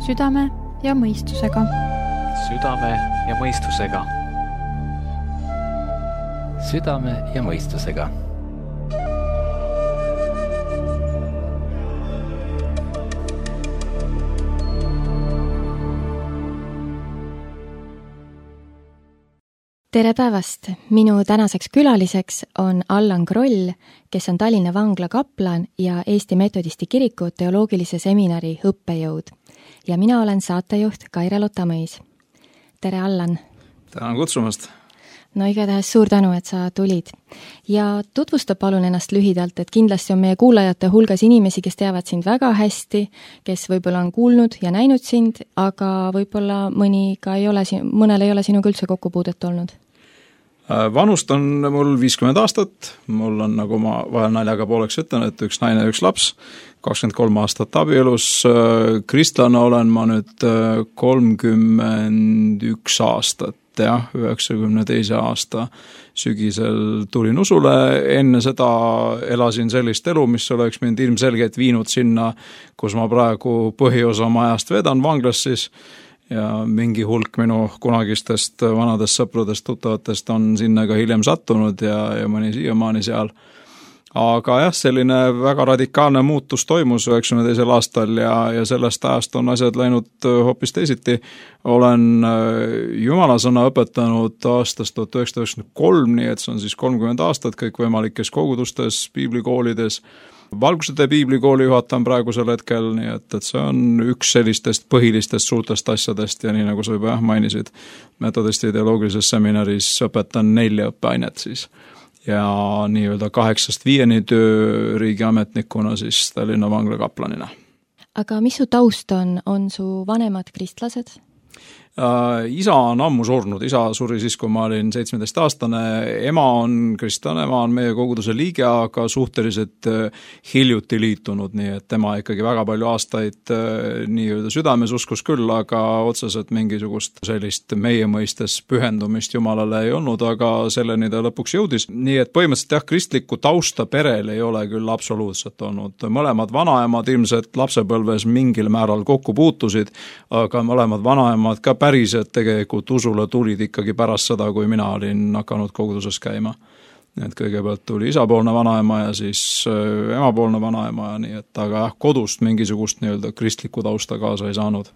Südame ja mõistusega. Südame ja mõistusega. Südame ja mõistusega. Tere päevast! Minu tänaseks külaliseks on Allan Kroll, kes on Tallinna vangla kaplan ja Eesti Metodisti kiriku teoloogilise seminari õppejõud. Ja mina olen saatejuht Kaire-Lotta Mõis. Tere, Allan! Tänan kutsumast! No igatahes suur tänu, et sa tulid. Ja tutvusta palun ennast lühidalt, et kindlasti on meie kuulajate hulgas inimesi, kes teavad sind väga hästi, kes võib-olla on kuulnud ja näinud sind, aga võib-olla mõnel ei ole sinuga üldse kokkupuudet olnud. Vanust on mul 50 aastat, mul on, nagu ma vahel naljaga pooleks ütlen, et üks naine ja üks laps, 23 aastat abielus, kristlane olen ma nüüd 31 aastat, jah, 92. aasta sügisel tulin usule, enne seda elasin sellist elu, mis oleks mind ilmselgelt viinud sinna, kus ma praegu põhiosa oma ajast vedan vanglas siis, ja mingi hulk minu kunagistest vanadest sõpradest, tuttavatest on sinna ka hiljem sattunud ja mõni siiamaani seal. Aga jah, selline väga radikaalne muutus toimus 92. aastal ja sellest ajast on asjad läinud hoopis teisiti. Olen Jumala sõna õpetanud aastast 1993, nii et see on siis 30 aastat kõikvõimalikes kogudustes, piiblikoolides. Valgusede piiblikooli juhatan praegusel hetkel, nii et see on üks sellistest põhilistest suurtest asjadest ja nii nagu sa juba mainisid, Metodisti teoloogilises seminaris õpetan 4 õppeainet siis. Ja nii-öelda 8-5 töö riigiametnikuna siis Tallinna vangla kaplanina. Aga mis su taust on su vanemad kristlased? Isa on ammu surnud, isa suri siis, kui ma olin 17-aastane, ema on kristlane, ema on meie koguduse liige, aga suhteliselt hiljuti liitunud, nii et tema ikkagi väga palju aastaid nii-öelda südames uskus küll, aga otseselt mingisugust sellist meie mõistes pühendumist Jumalale ei olnud, aga selleni ta lõpuks jõudis. Nii et põhimõtteliselt jah, kristlikku tausta perel ei ole küll absoluutselt olnud. Mõlemad vanaemad ilmselt lapsepõlves mingil määral kokku puutusid, aga mõlemad vanaemad ka päriselt tegelikult usule tulid ikkagi pärast seda, kui mina olin hakanud koguduses käima. Et kõigepealt tuli isapoolne vanaema ja siis emapoolne vanaema, nii et aga jah, kodust mingisugust nii-öelda kristlikku tausta kaasa ei saanud.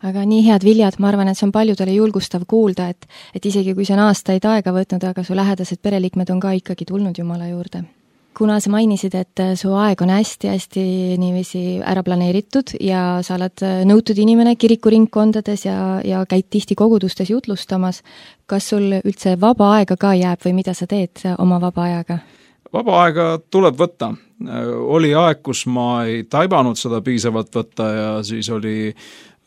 Aga nii head viljad, ma arvan, et see on paljudele julgustav kuulda, et isegi kui see on aastaid aega võtnud, aga su lähedased pereliikmed on ka ikkagi tulnud Jumala juurde. Kuna sa mainisid, et su aeg on hästi niiviisi ära planeeritud ja sa oled nõutud inimene kirikuringkondades ja käid tihti kogudustes jutlustamas, kas sul üldse vaba aega ka jääb või mida sa teed oma vaba ajaga? Vaba aega tuleb võtta. Oli aeg, kus ma ei taibanud seda piisavalt võtta ja siis oli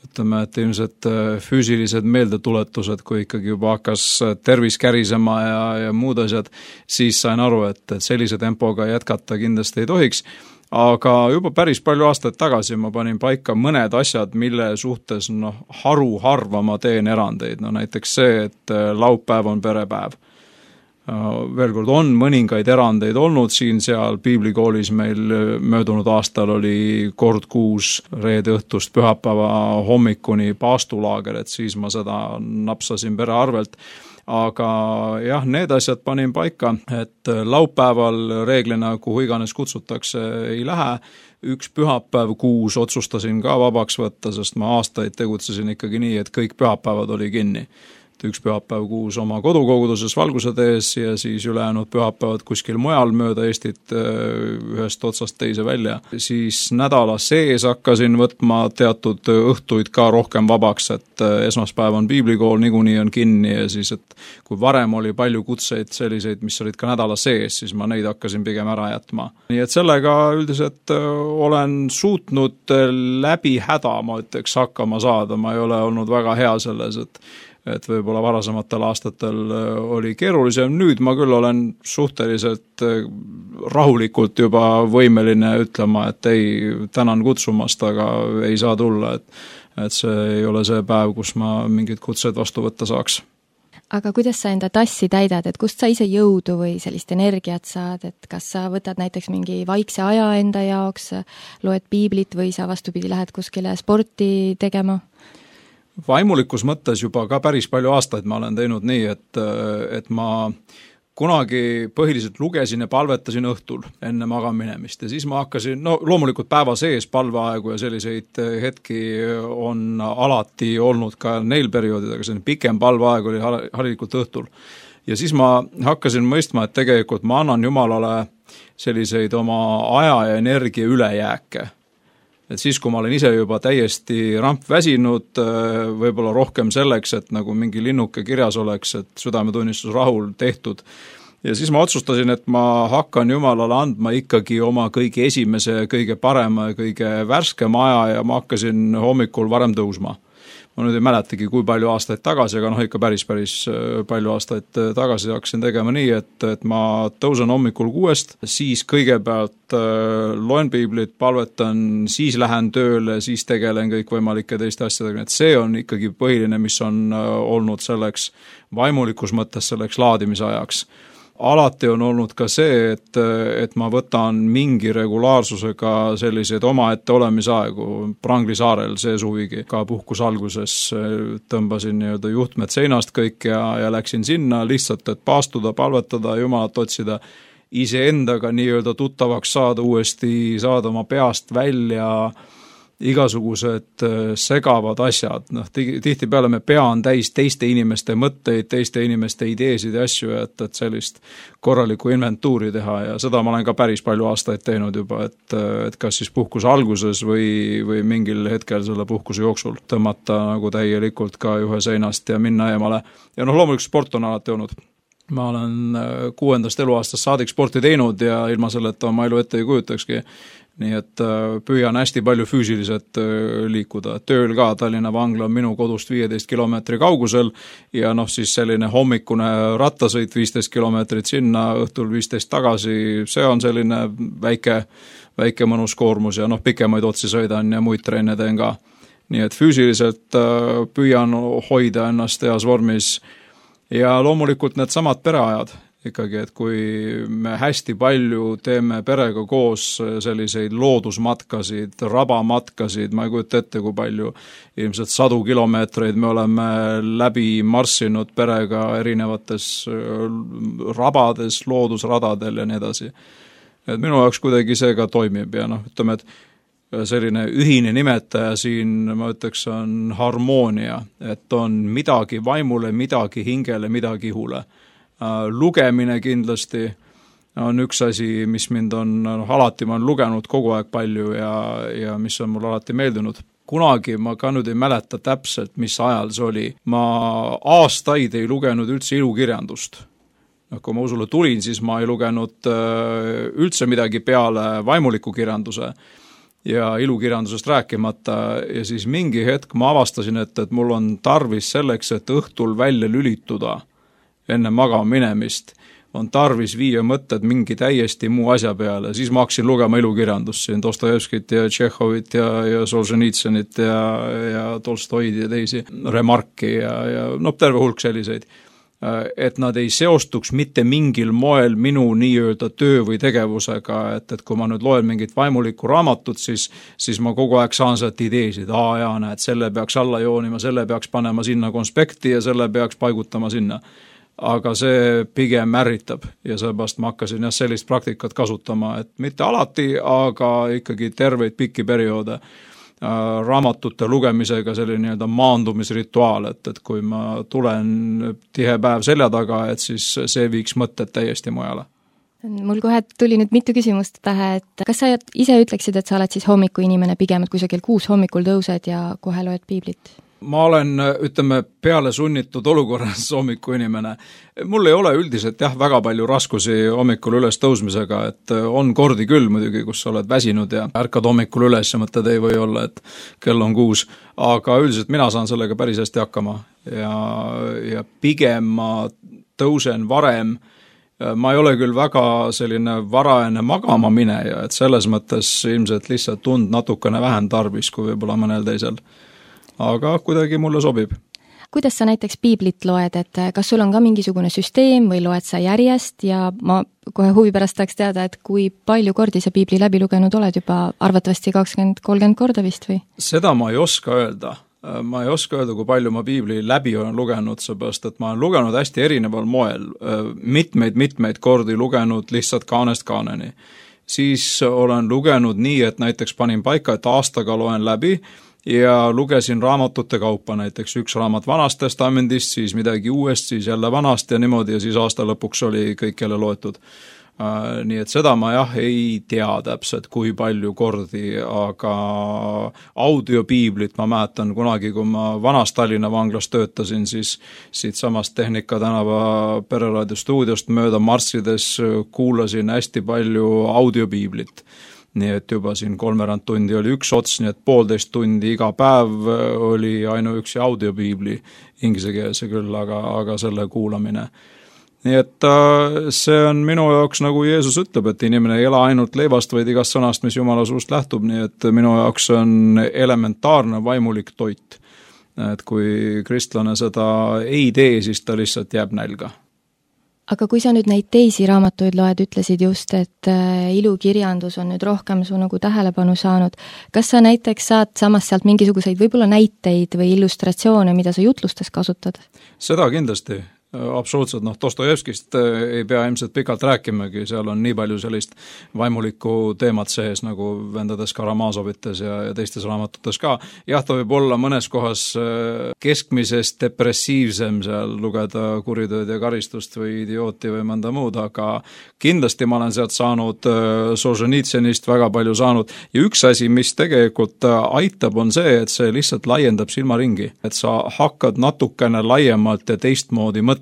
ütleme, et ilmselt füüsilised meeldetuletused, kui ikkagi juba hakkas tervis kärisema ja muud asjad, siis sain aru, et sellise tempoga jätkata kindlasti ei tohiks. Aga juba päris palju aastaid tagasi ma panin paika mõned asjad, mille suhtes harva ma teen erandeid. Näiteks see, et laupäev on perepäev. Veel kord on mõningaid erandeid olnud siin-seal piiblikoolis meil möödunud aastal oli kord kuus reede õhtust pühapäeva hommikuni paastulaager, et siis ma seda napsasin pere arvelt. Aga jah, need asjad panin paika, et laupäeval reeglina kuhu iganes kutsutakse ei lähe. Üks pühapäev kuus otsustasin ka vabaks võtta, sest ma aastaid tegutsesin ikkagi nii, et kõik pühapäevad oli kinni. Üks pühapäev kuus oma kodukoguduses Valguse tees ja siis ülejäänud pühapäevad kuskil mujal mööda Eestit ühest otsast teise välja. Siis nädala sees hakkasin võtma teatud õhtuid ka rohkem vabaks, et esmaspäev on piiblikool, niikuinii on kinni ja siis, et kui varem oli palju kutseid selliseid, mis olid ka nädala sees, siis ma neid hakkasin pigem ära jätma. Nii et sellega üldiselt olen suutnud läbi häda, ma ütleks, hakkama saada, ma ei ole olnud väga hea selles, et võib-olla varasematel aastatel oli keerulisem. Nüüd ma küll olen suhteliselt rahulikult juba võimeline ütlema, et ei, tänan kutsumast, aga ei saa tulla, et see ei ole see päev, kus ma mingid kutsed vastu võtta saaks. aga kuidas sa enda tassi täidad, et kust sa ise jõudu või sellist energiat saad, et kas sa võtad näiteks mingi vaikse aja enda jaoks, loed piiblit või sa vastupidi lähed kuskile sporti tegema? Vaimulikus mõttes juba ka päris palju aastaid ma olen teinud nii, et ma kunagi põhiliselt lugesin ja palvetasin õhtul enne magaminemist ja siis ma hakkasin, loomulikult päeva sees palveaegu ja selliseid hetki on alati olnud ka neil perioodidel, aga selline pikem palveaeg oli harilikult õhtul. Ja siis ma hakkasin mõistma, et tegelikult ma annan Jumalale selliseid oma aja ja energia ülejääke. Et siis, kui ma olen ise juba täiesti rampväsinud, võib-olla rohkem selleks, et nagu mingi linnuke kirjas oleks, et südametunnistus rahul tehtud. Ja siis ma otsustasin, et ma hakkan Jumalale andma ikkagi oma kõige esimese, kõige parema ja kõige värskema aja ja ma hakkasin hommikul varem tõusma. Ma nüüd ei mäletagi, kui palju aastaid tagasi, aga ikka päris palju aastaid tagasi hakkasin tegema nii, et ma tõusen hommikul 6, siis kõigepealt loen piiblit, palvetan, siis lähen tööle, siis tegelen kõikvõimalike teiste asjadega, et see on ikkagi põhiline, mis on olnud selleks vaimulikus mõttes selleks laadimisajaks. Alati on olnud ka see, et ma võtan mingi regulaarsusega selliseid omaette olemisaegu. Prangli saarel see suvigi ka puhkus alguses tõmbasin nii-öelda juhtmed seinast kõik ja läksin sinna lihtsalt, et paastuda, palvetada, Jumalat otsida, iseendaga nii-öelda tuttavaks saada, uuesti saada oma peast välja igasugused segavad asjad. Tihtipeale me pea on täis teiste inimeste mõtteid, teiste inimeste ideesid ja asju, et sellist korralikku inventuuri teha ja seda ma olen ka päris palju aastaid teinud juba, et kas siis puhkuse alguses või mingil hetkel selle puhkuse jooksul tõmmata nagu täielikult ka juhe seinast ja minna eemale. Ja loomulikult sport on alati olnud. Ma olen 6. eluaastast saadik sporti teinud ja ilma selleta oma elu ette ei kujutakski. Nii et püüan hästi palju füüsiliselt liikuda. Tööl ka Tallinna Vangla on minu kodust 15 kilomeetri kaugusel ja siis selline hommikune rattasõit 15 kilomeetrit sinna, õhtul 15 tagasi, see on selline väike mõnus koormus ja pikemaid otsi sõidan ja muid treene teen ka. Nii et füüsiliselt püüan hoida ennast heas vormis ja loomulikult need samad pereajad. Ikkagi, et kui me hästi palju teeme perega koos selliseid loodusmatkasid, rabamatkasid, ma ei kujuta ette, kui palju, ilmselt 100 kilomeetreid me oleme läbi marssinud perega erinevates rabades, loodusradadel ja nii edasi. Et minu jaoks kuidagi see ka toimib ja ütleme, et selline ühine nimetaja siin, ma ütleks, on harmoonia, et on midagi vaimule, midagi hingele, midagi ihule. Lugemine kindlasti on üks asi, mis mind on alati, ma olen lugenud kogu aeg palju ja mis on mul alati meeldinud. Kunagi ma ka nüüd ei mäleta täpselt, mis ajal see oli. Ma aastaid ei lugenud üldse ilukirjandust. Kui ma usule tulin, siis ma ei lugenud üldse midagi peale vaimuliku kirjanduse ja ilukirjandusest rääkimata ja siis mingi hetk ma avastasin, et mul on tarvis selleks, et õhtul välja lülituda enne magama minemist, on tarvis viia mõtted mingi täiesti muu asja peale. Siis ma hakkasin lugema ilukirjandust siin Dostojevskit ja Tšehhovit ja Solženitsõnit ja Tolstoid ja teisi, Remarki ja terve hulk selliseid. Et nad ei seostuks mitte mingil moel minu nii-öelda töö või tegevusega, et kui ma nüüd loen mingit vaimulikku raamatut, siis ma kogu aeg saan sealt ideesid, näed, selle peaks alla joonima, selle peaks panema sinna konspekti ja selle peaks paigutama sinna. Aga see pigem ärritab ja seepärast ma hakkasin sellist praktikat kasutama, et mitte alati, aga ikkagi terveid pikki perioode raamatute lugemisega selline nii-öelda maandumisrituaal, et kui ma tulen tihe päev selja taga, et siis see viiks mõtted täiesti mujale. Mul kohe tuli nüüd mitu küsimust pähe, et kas sa ise ütleksid, et sa oled siis hommiku inimene pigem, et kui sa kell 6 hommikul tõused ja kohe loed piiblit? Ma olen, ütleme, peale sunnitud olukorras hommiku inimene. Mul ei ole üldiselt väga palju raskusi hommikul üles tõusmisega, et on kordi küll muidugi, kus sa oled väsinud ja ärkad hommikul üles ja mõtled ei või olla, et kell on 6, aga üldiselt mina saan sellega päris hästi hakkama ja pigem ma tõusen varem. Ma ei ole küll väga selline varajane magama mineja, et selles mõttes ilmselt lihtsalt tund natukene vähem tarvis kui võib-olla mõnel teisel. Aga kuidagi mulle sobib. kuidas sa näiteks piiblit loed, et kas sul on ka mingisugune süsteem või loed sa järjest ja ma kohe huvi pärast tahaks teada, et kui palju kordi sa piibli läbi lugenud oled juba, arvatavasti 20-30 korda vist või? Seda ma ei oska öelda. Ma ei oska öelda, kui palju ma piibli läbi olen lugenud, seepärast, et ma olen lugenud hästi erineval moel, mitmeid kordi lugenud lihtsalt kaanest kaaneni. Siis olen lugenud nii, et näiteks panin paika, et aastaga loen läbi ja lugesin raamatute kaupa, näiteks üks raamat Vanast Testamendist, siis midagi uuest, siis jälle vanast ja niimoodi ja siis aasta lõpuks oli kõik jälle loetud. Nii et seda ma ei tea täpselt, kui palju kordi, aga audiopiiblit ma mäletan kunagi, kui ma vanas Tallinna vanglas töötasin, siis siit samast Tehnika tänava Pereraadio stuudiost mööda marssides kuulasin hästi palju audiopiiblit. Nii et juba siin 3 tundi oli üks ots, nii et 1,5 tundi iga päev oli ainuüksi audiopiibli, inglisekeelse küll, aga selle kuulamine. Nii et see on minu jaoks, nagu Jeesus ütleb, et inimene ei ela ainult leivast, vaid igast sõnast, mis Jumala suust lähtub, nii et minu jaoks on elementaarne vaimulik toit. Et kui kristlane seda ei tee, siis ta lihtsalt jääb nälga. Aga kui sa nüüd neid teisi raamatuid loed, ütlesid just, et ilukirjandus on nüüd rohkem su nagu tähelepanu saanud. Kas sa näiteks saad samas sealt mingisuguseid võib-olla näiteid või illustratsioone, mida sa jutlustes kasutad? Seda kindlasti. Absoluutselt, Dostojevskist ei pea ilmselt pikalt rääkimagi, seal on nii palju sellist vaimulikku teemat sees, nagu vendades Karamazovites ja teistes raamatutes ka. Jah, ta võib olla mõnes kohas keskmisest depressiivsem seal lugeda kuritööd ja karistust või idiooti või mõnda muud, aga kindlasti ma olen sealt saanud Solženitsenist väga palju saanud. Ja üks asi, mis tegelikult aitab, on see, et see lihtsalt laiendab silmaringi. Et sa hakkad natukene laiemalt ja teistmoodi mõtlema,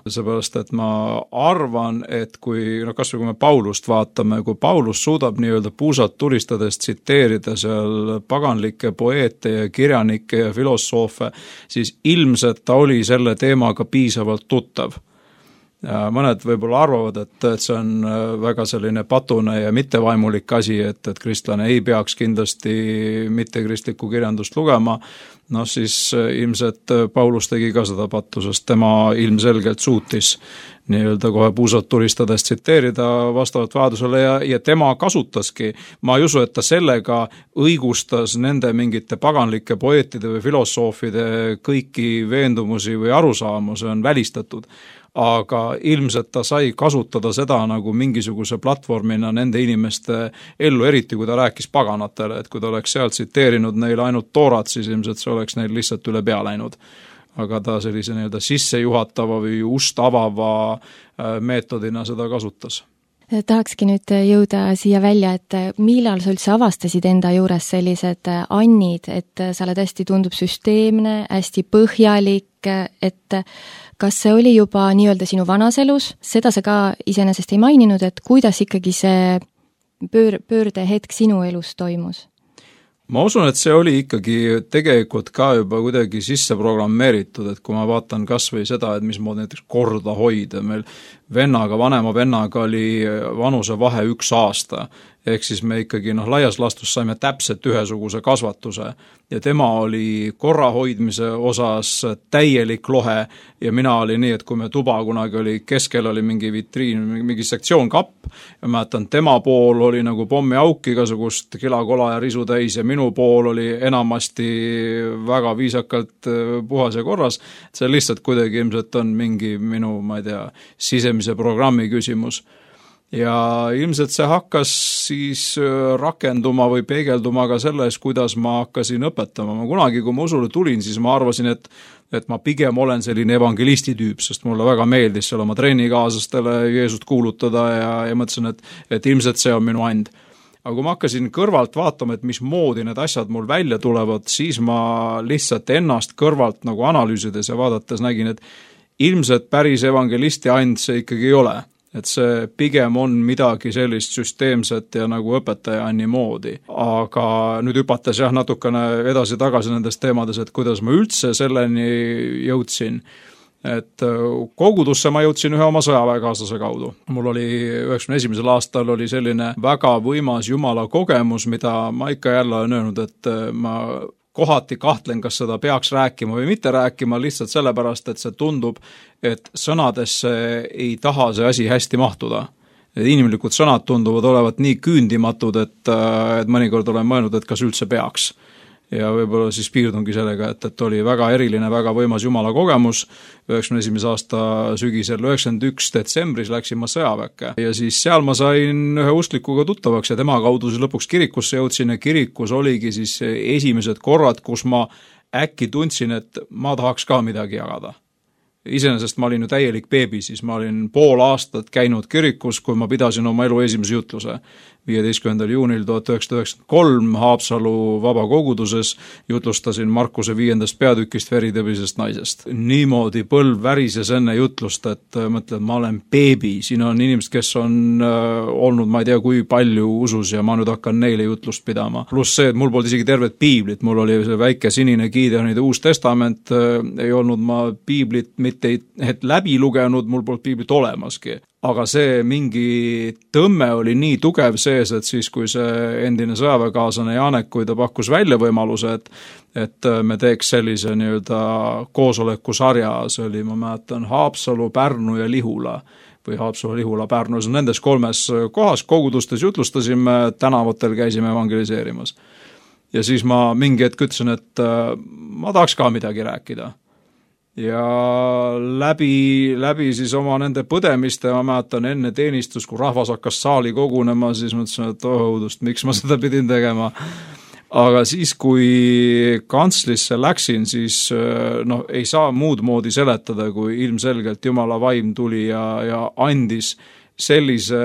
seepärast, et ma arvan, et kui kasvõi kui me Paulust vaatame, kui Paulus suudab nii-öelda puusalt tulistades tsiteerida seal paganlikke poeete ja kirjanikke ja filosoofe, siis ilmselt ta oli selle teemaga piisavalt tuttav. Ja mõned võib-olla arvavad, et see on väga selline patune ja mittevaimulik asi, et kristlane ei peaks kindlasti mittekristlikku kirjandust lugema, siis ilmselt Paulus tegi ka seda pattu, sest tema ilmselgelt suutis nii-öelda kohe puusalt tulistades tsiteerida vastavalt vajadusele ja tema kasutaski, ma ei usu, et ta sellega õigustas nende mingite paganlike poeetide või filosoofide kõiki veendumusi või arusaamu, see on välistatud. Aga ilmselt ta sai kasutada seda nagu mingisuguse platvormina nende inimeste ellu, eriti kui ta rääkis paganatele, et kui ta oleks sealt tsiteerinud neile ainult toorat, siis ilmselt see oleks neil lihtsalt üle pea läinud. Aga ta sellise nii-öelda sissejuhatava või ust avava meetodina seda kasutas. Tahakski nüüd jõuda siia välja, et millal sa üldse avastasid enda juures sellised annid, et sa oled hästi tundub süsteemne, hästi põhjalik, et kas see oli juba nii-öelda sinu vanas elus, seda sa ka iseenesest ei maininud, et kuidas ikkagi see pöördehetk sinu elus toimus? Ma usun, et see oli ikkagi tegelikult ka juba kuidagi sisse programmeeritud, et kui ma vaatan kas või seda, et mismoodi näiteks korda hoida, meil vanema vennaga oli vanusevahe 1 aasta, ehk siis me ikkagi laias laastus saime täpselt ühesuguse kasvatuse ja tema oli korra hoidmise osas täielik lohe ja mina oli nii, et kui me tuba kunagi oli, keskel oli mingi vitriin, mingi sektsioon kapp ja mäletan, tema pool oli nagu pommiauk igasugust kilakola ja risu täis ja minu pool oli enamasti väga viisakalt puhas ja korras, see lihtsalt kuidagi ilmselt on mingi minu, ma ei tea, sisemise programmi küsimus. Ja ilmselt see hakkas siis rakenduma või peegelduma ka selles, kuidas ma hakkasin õpetama. Ma kunagi, kui ma usule tulin, siis ma arvasin, et ma pigem olen selline evangelisti tüüp, sest mulle väga meeldis seal oma treenikaaslastele Jeesust kuulutada ja mõtlesin, et ilmselt see on minu and. Aga kui ma hakkasin kõrvalt vaatama, et mismoodi need asjad mul välja tulevad, siis ma lihtsalt ennast kõrvalt nagu analüüsides ja vaadates nägin, et ilmselt päris evangelisti and see ikkagi ei ole. Et see pigem on midagi sellist süsteemset ja nagu õpetaja anni moodi. Aga nüüd hüpates natukene edasi-tagasi nendes teemades, et kuidas ma üldse selleni jõudsin. Et kogudusse ma jõudsin ühe oma sõjaväekaaslase kaudu. Mul oli 91. aastal oli selline väga võimas Jumala kogemus, mida ma ikka jälle olen öelnud, et ma kohati kahtlen, kas seda peaks rääkima või mitte rääkima, lihtsalt sellepärast, et see tundub, et sõnadesse ei taha see asi hästi mahtuda. Inimlikud sõnad tunduvad olevat nii küündimatud, et mõnikord olen mõelnud, et kas üldse peaks. Ja võib-olla siis piirdungi sellega, et oli väga eriline, väga võimas Jumala kogemus. 91. aasta sügisel, 91. detsembris läksin ma sõjaväkke ja siis seal ma sain ühe usklikuga tuttavaks ja tema kaudu siis lõpuks kirikusse jõudsin ja kirikus oligi siis esimesed korrad, kus ma äkki tundsin, et ma tahaks ka midagi jagada. Iseenesest ma olin ju täielik beebi, siis ma olin pool aastat käinud kirikus, kui ma pidasin oma elu esimese jutluse. 15. juunil 1993 Haapsalu vabakoguduses jutlustasin Markuse 5. peatükist veritõbisest naisest. Niimoodi põlv värises enne jutlust, et mõtlen, ma olen beebi, siin on inimesed, kes on olnud, ma ei tea, kui palju usus ja ma nüüd hakkan neile jutlust pidama. Pluss see, et mul polnud isegi tervet piiblit, mul oli see väike sinine Gideonide Uus Testament, ei olnud ma piiblit mitte et läbi lugenud, mul polnud piiblit olemaski. Aga see mingi tõmme oli nii tugev sees, et siis kui see endine sõjaväekaaslane Janek, kui ta pakkus välja võimaluse, et me teeks sellise nii-öelda koosolekusarja, see oli, ma mäletan, Haapsalu, Pärnu ja Lihula või Haapsalu, Lihula, Pärnu, nendes 3 kohas kogudustes jutlustasime, tänavatel käisime evangeliseerimas. Ja siis ma mingi hetk ütlesin, et ma tahaks ka midagi rääkida. Ja läbi siis oma nende põdemiste, ma mäletan enne teenistus, kui rahvas hakkas saali kogunema, siis mõtlesin, et õudust, miks ma seda pidin tegema. Aga siis, kui kantslisse läksin, siis ei saa muud moodi seletada, kui ilmselgelt Jumala vaim tuli ja andis sellise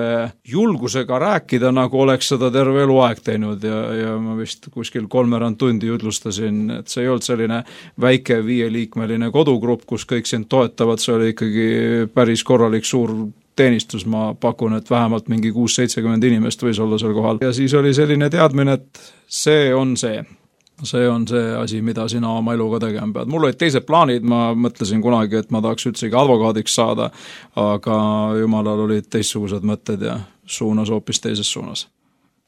julgusega rääkida, nagu oleks seda terve eluaeg teinud ja ma vist kuskil 3 tundi jutlustasin, et see ei olnud selline väike 5-liikmeline kodugrupp, kus kõik sind toetavad, see oli ikkagi päris korralik suur teenistus, ma pakun, et vähemalt mingi 6-70 inimest võis olla seal kohal. Ja siis oli selline teadmine, et see on see asi, mida sina oma eluga tegema pead. Mul olid teised plaanid, ma mõtlesin kunagi, et ma tahaks üldsegi advokaadiks saada, aga Jumalal olid teistsugused mõtted ja suunas hoopis teises suunas.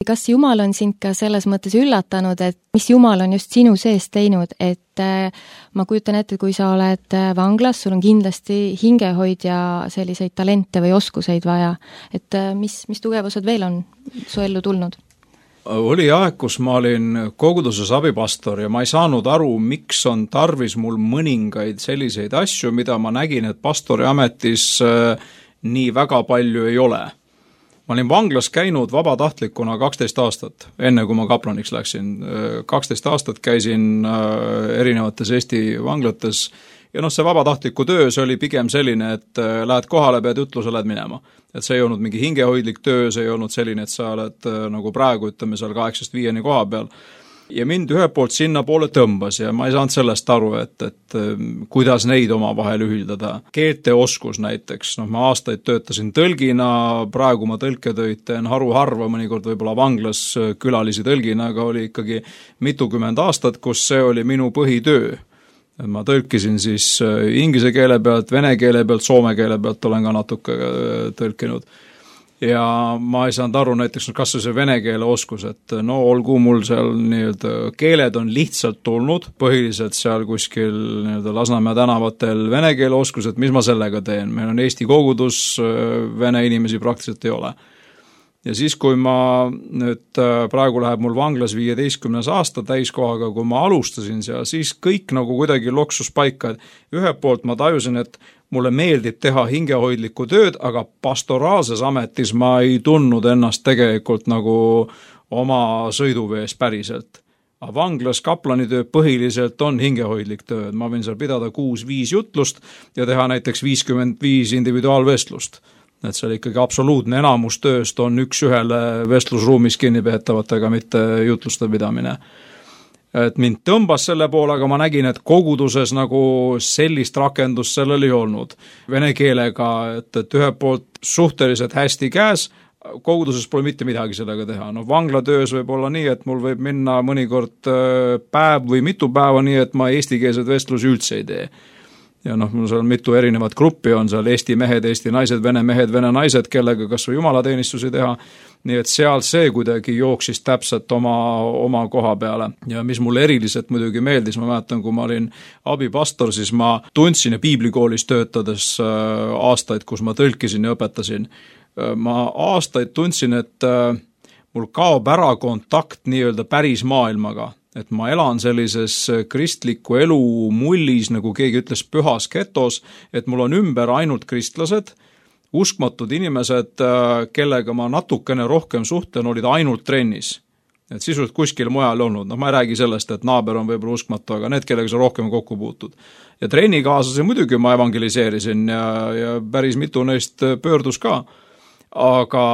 Kas Jumal on sind ka selles mõttes üllatanud, et mis Jumal on just sinu sees teinud, et ma kujutan ette, kui sa oled vanglas, sul on kindlasti hingehoidja selliseid talente või oskuseid vaja, et mis tugevused veel on su ellu tulnud? Oli aeg, kus ma olin koguduses abipastor ja ma ei saanud aru, miks on tarvis mul mõningaid selliseid asju, mida ma nägin, et pastori ametis nii väga palju ei ole. Ma olin vanglas käinud vabatahtlikuna 12 aastat, enne kui ma kaplaniks läksin. 12 aastat käisin erinevates Eesti vanglates ja see vabatahtliku töö, see oli pigem selline, et lähed kohale, pead jutluse, lähed minema. Et see ei olnud mingi hingehoidlik töö, see ei olnud selline, et sa oled nagu praegu, ütleme seal 8-5 koha peal. Ja mind ühelt poolt sinna poole tõmbas ja ma ei saanud sellest aru, et kuidas neid oma vahel ühildada. Keelteoskus näiteks, ma aastaid töötasin tõlgina, praegu ma tõlketöid teen haruharva, mõnikord võib-olla vanglas külalisi tõlgina, aga oli ikkagi mitukümmend aastat, kus see oli minu põhitöö. Ma tõlkisin siis inglise keele pealt, vene keele pealt, soome keele pealt olen ka natuke tõlkinud. Ja ma ei saanud aru näiteks, kas see vene keele oskus, et olgu mul seal keeled on lihtsalt tulnud, põhiliselt seal kuskil Lasnamäe tänavatel vene keele oskus, et mis ma sellega teen. Meil on Eesti kogudus, vene inimesi praktiliselt ei ole. Ja siis, kui ma nüüd praegu läheb mul vanglas 15. aasta täiskohaga, kui ma alustasin seal, siis kõik nagu kuidagi loksus paika, et ühelt poolt ma tajusin, et mulle meeldib teha hingehoidlikku tööd, aga pastoraalses ametis ma ei tundnud ennast tegelikult nagu oma sõiduvees päriselt. Aga vanglas kaplanitöö põhiliselt on hingehoidlik töö, ma võin seal pidada 6-5 jutlust ja teha näiteks 55 individuaalvestlust. Et see oli ikkagi absoluutne enamus tööst on üks-ühele vestlusruumis kinnipeetavatega, mitte jutluste pidamine. Et mind tõmbas selle poole, aga ma nägin, et koguduses nagu sellist rakendust sellel ei olnud. Vene keelega, et ühelt poolt suhteliselt hästi käes, koguduses pole mitte midagi sellega teha. Vanglatöös võib olla nii, et mul võib minna mõnikord päev või mitu päeva nii, et ma eestikeelseid vestlusi üldse ei tee. ja noh, mul seal mitu erinevat gruppi on seal, Eesti mehed, Eesti naised, Vene mehed, Vene naised, kellega kas või jumalateenistusi teha, nii et seal see kuidagi jooksis täpselt oma koha peale. Ja mis mulle eriliselt muidugi meeldis, ma mäletan, kui ma olin abipastor, siis ma tundsin ja piiblikoolis töötades aastaid, kus ma tõlkisin ja õpetasin, ma aastaid tundsin, et mul kaob ära kontakt nii-öelda päris maailmaga, et ma elan sellises kristliku elu mullis, nagu keegi ütles, pühas getos, et mul on ümber ainult kristlased, uskmatud inimesed, kellega ma natukene rohkem suhtlen, olid ainult trennis. Et sisuliselt kuskil mujal olnud. Ma ei räägi sellest, et naaber on võib-olla uskmatu, aga need, kellega sa rohkem kokku puutud. Ja trennikaaslasi muidugi ma evangeliseerisin ja päris mitu neist pöördus ka. Aga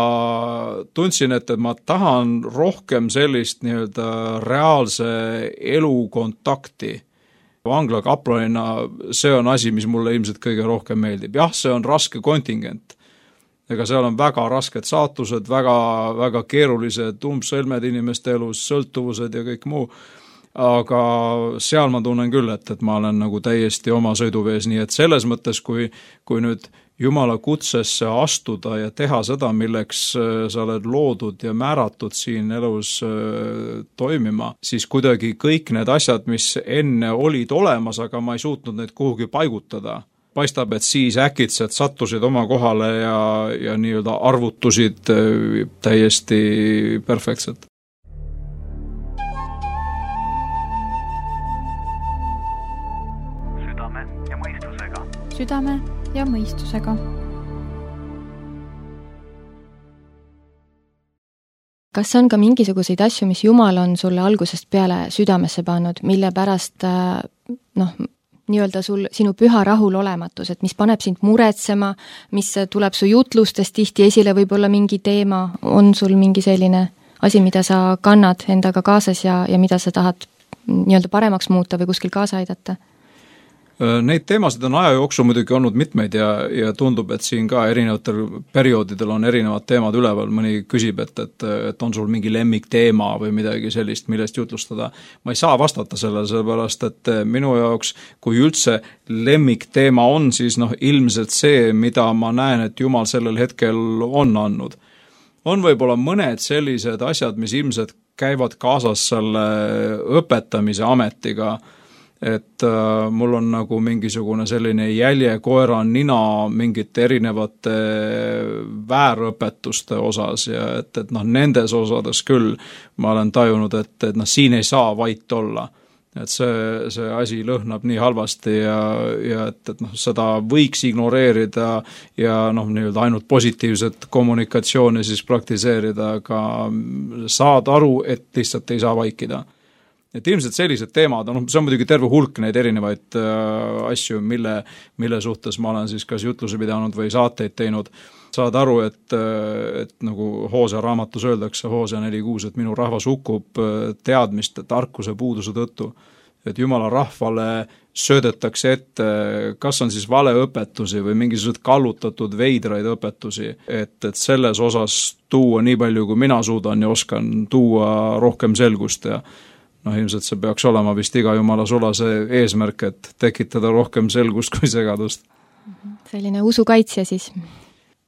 tundsin, et ma tahan rohkem sellist nii-öelda reaalse elu kontakti. Angla kaplanina see on asi, mis mulle ilmselt kõige rohkem meeldib. Jah, see on raske kontingent. Ega seal on väga rasked saatused, väga keerulised umbsõlmed inimeste elus, sõltuvused ja kõik muu. Aga seal ma tunnen küll, et ma olen nagu täiesti oma sõiduvees, nii et selles mõttes, kui nüüd Jumala kutsesse astuda ja teha seda, milleks sa oled loodud ja määratud siin elus toimima, siis kuidagi kõik need asjad, mis enne olid olemas, aga ma ei suutnud neid kuhugi paigutada. Paistab, et siis äkitselt sattusid oma kohale ja nii-öelda arvutusid täiesti perfektselt. Südame ja mõistusega. Kas on ka mingisuguseid asju, mis Jumal on sulle algusest peale südamesse pannud, mille pärast nii-öelda sinu püha rahulolematus, et mis paneb sind muretsema, mis tuleb su jutlustest tihti esile, võib-olla mingi teema, on sul mingi selline asi, mida sa kannad endaga kaasas ja mida sa tahad nii-öelda paremaks muuta või kuskil kaasa aidata? Neid teemasid on aja jooksul muidugi olnud mitmeid ja tundub, et siin ka erinevatel perioodidel on erinevad teemad üleval. Mõni küsib, et on sul mingi lemmikteema või midagi sellist, millest jutlustada. Ma ei saa vastata sellele, sellepärast, et minu jaoks, kui üldse lemmikteema on, siis ilmselt see, mida ma näen, et Jumal sellel hetkel on andnud. On võib-olla mõned sellised asjad, mis ilmselt käivad kaasas selle õpetamise ametiga, et mul on nagu mingisugune selline jälje koera nina mingite erinevate väärõpetuste osas ja et nendes osades küll ma olen tajunud, et siin ei saa vait olla. Et see asi lõhnab nii halvasti ja et seda võiks ignoreerida ja nii-öelda ainult positiivset kommunikatsiooni siis praktiseerida, aga saad aru, et lihtsalt ei saa vaikida. Et ilmselt sellised teemad, see on muidugi terve hulk neid erinevaid asju, mille suhtes ma olen siis kas jutluse pidanud või saateid teinud. Saad aru, et nagu Hoosea raamatus öeldakse, Hoosea 4.6, et minu rahvas hukkub teadmiste, tarkuse puuduse tõttu. Et Jumala rahvale söödetakse ette, kas on siis valeõpetusi või mingisugused kallutatud veidraid õpetusi, et selles osas tuua nii palju, kui mina suudan ja oskan tuua rohkem selgust ja ilmselt see peaks olema vist iga Jumala sulase eesmärk, et tekitada rohkem selgust kui segadust. Selline usukaitsja siis.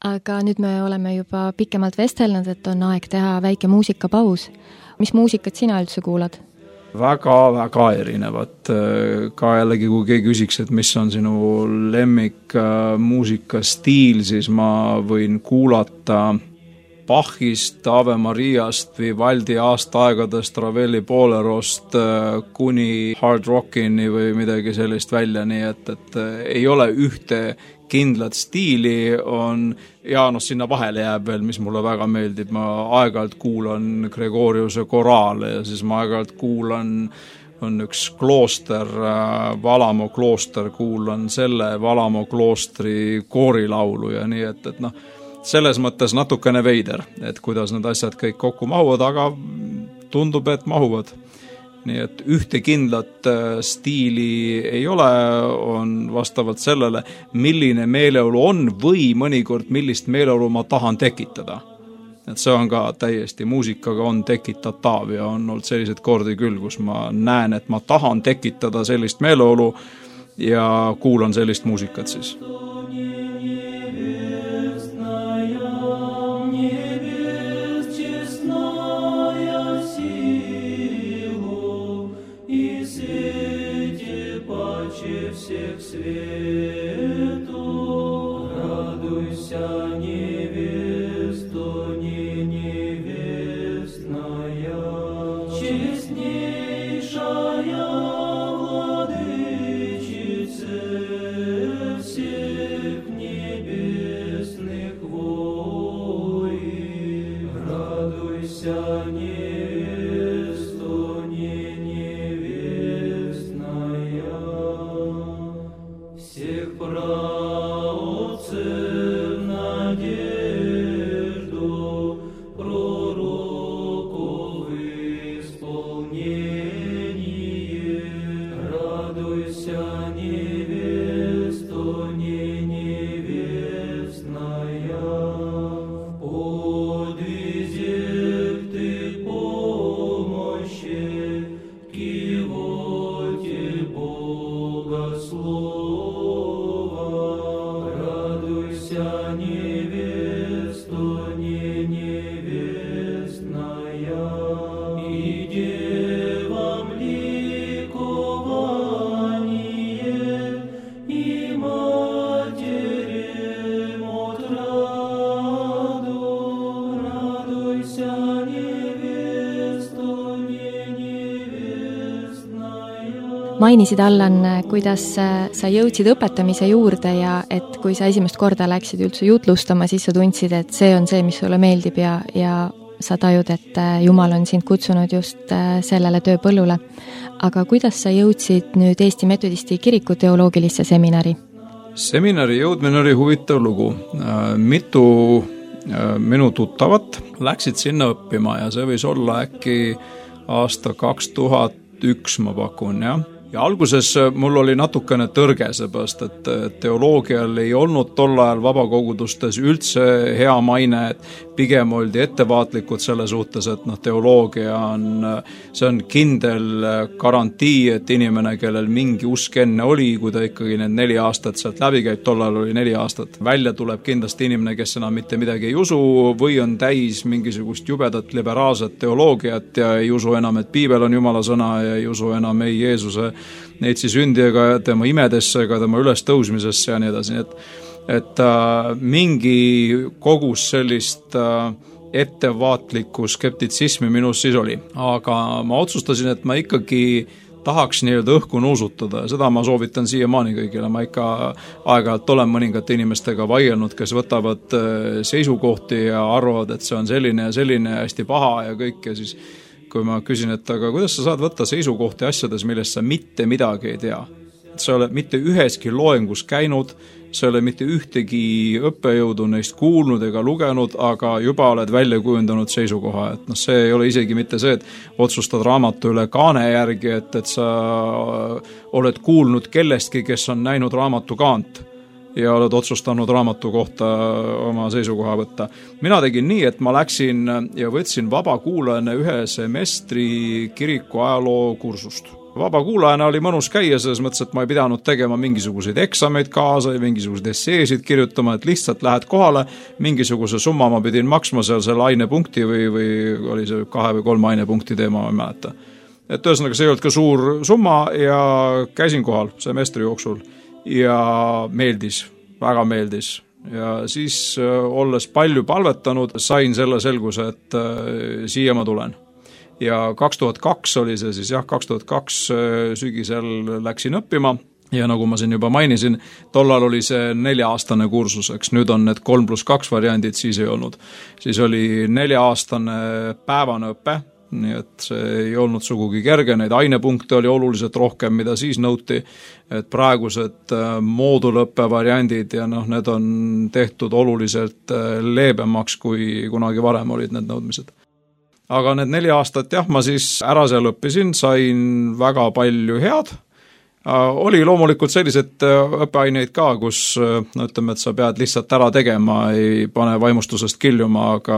Aga nüüd me oleme juba pikemalt vestelnud, et on aeg teha väike muusikapaus. Mis muusikat sina üldse kuulad? Väga erinevad. Ka jällegi, kui keegi küsiks, et mis on sinu lemmik muusikastiil, siis ma võin kuulata Bachist, Ave Mariast, Vivaldi aastaaegadest, Ravelli Bolerost kuni hard rockini või midagi sellist välja, nii et ei ole ühte kindlat stiili on ja sinna vahele jääb veel, mis mulle väga meeldib. Ma aeg-ajalt kuulan Gregoriuse koraale ja siis ma aeg-ajalt kuulan on üks klooster, Valamo klooster, kuulan selle Valamo kloostri koorilaulu ja nii, et selles mõttes natukene veider, et kuidas need asjad kõik kokku mahuvad, aga tundub, et mahuvad. Nii et ühte kindlat stiili ei ole, on vastavalt sellele, milline meeleolu on või mõnikord millist meeleolu ma tahan tekitada. Et see on ka täiesti, muusikaga on tekitatav ja on olnud sellised kordi küll, kus ma näen, et ma tahan tekitada sellist meeleolu ja kuulan sellist muusikat siis. Всех свету, радуйся, невесто, не невестная, честнейшая владычице всех небесных воин, радуйся, невесто, не невестная. Всех праотцев надежду, пророков исполнение, радуйся, невесто, не невестная, в подвизе ты помощи, кивоте богослов. Невесто, не невестная, и девам ликование, и матерям отраду, радуйся, невесто, не невестная. Mainisid, Allan, kuidas sa jõudsid õpetamise juurde ja et kui sa esimest korda läksid üldse jutlustama, siis sa tundsid, et see on see, mis sulle meeldib ja sa tajud, et Jumal on sind kutsunud just sellele tööpõllule. Aga kuidas sa jõudsid nüüd Eesti Metodisti Kiriku teoloogilisse seminari? Seminari jõudmine oli huvitav lugu. Mitu minu tuttavat läksid sinna õppima ja see võis olla äkki aasta 2001, ma pakun, jah. Ja alguses mul oli natukene tõrge, seepärast, et teoloogial ei olnud tol ajal vabakogudustes üldse hea maine, et pigem oldi ettevaatlikud selle suhtes, et teoloogia see on kindel garantii, et inimene, kellel mingi usk enne oli, kui ta ikkagi need 4 aastat sealt läbi käib, tol ajal oli 4 aastat, välja tuleb kindlasti inimene, kes enam mitte midagi ei usu või on täis mingisugust jubedat liberaalset teoloogiat ja ei usu enam, et piibel on Jumala sõna ja ei usu enam ei Jeesuse neitsi sündi ega tema imedesse ega tema ülestõusmisesse ja nii edasi, et mingi kogus sellist ettevaatlikku skeptitsismi minus siis oli. Aga ma otsustasin, et ma ikkagi tahaks nii-öelda õhku nuusutada ja seda ma soovitan siiamaani kõigile. Ma ikka aeg-ajalt olen mõningate inimestega vaielnud, kes võtavad seisukohti ja arvavad, et see on selline ja selline hästi paha ja kõik ja siis kui ma küsin, et aga kuidas sa saad võtta seisukohti asjades, millest sa mitte midagi ei tea. Sa oled mitte üheski loengus käinud, sa oled mitte ühtegi õppejõudu neist kuulnud ega lugenud, aga juba oled välja kujundanud seisukoha. Et see ei ole isegi mitte see, et otsustad raamatu üle kaane järgi, et sa oled kuulnud kellestki, kes on näinud raamatu kaant ja oled otsustanud raamatu kohta oma seisukoha võtta. Mina tegin nii, et ma läksin ja võtsin vabakuulajana 1 semestri kiriku ajaloo kursust. Vabakuulajana oli mõnus käia, selles mõttes, et ma ei pidanud tegema mingisuguseid eksameid kaasa ja mingisuguseid esseesid kirjutama, et lihtsalt lähed kohale, mingisuguse summa ma pidin maksma seal selle ainepunkti või oli see 2 või 3 ainepunkti teema, ma ei mäleta. Et ühesõnaga see ei olnud ka suur summa ja käisin kohal semestri jooksul. Ja meeldis, väga meeldis ja siis olles palju palvetanud, sain selle selguse, et siia ma tulen. Ja 2002 oli see siis, 2002 sügisel läksin õppima ja nagu ma siin juba mainisin, tollal oli see 4-aastane kursus, eks nüüd on need 3+2 variandid, siis ei olnud. Siis oli 4-aastane päevane õpe, nii et see ei olnud sugugi kerge, neid ainepunkte oli oluliselt rohkem, mida siis nõuti, et praegused moodulõppe variandid ja need on tehtud oluliselt leebemaks, kui kunagi varem olid need nõudmised. Aga need 4 aastat, ma siis ära seal õppisin, sain väga palju head. Oli loomulikult sellised õppeaineid ka, kus ütleme, et sa pead lihtsalt ära tegema, ei pane vaimustusest kiljuma, aga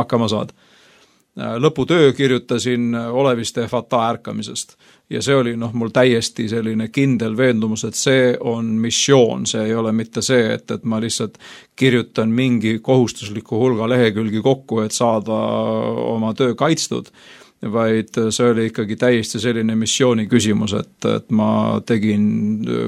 hakkama saad. lõputöö kirjutasin Oleviste Fata ärkamisest. Ja see oli mul täiesti selline kindel veendumus, et see on missioon, see ei ole mitte see, et ma lihtsalt kirjutan mingi kohustusliku hulga lehekülgi kokku, et saada oma töö kaitstud, vaid see oli ikkagi täiesti selline missiooni küsimus, et ma tegin,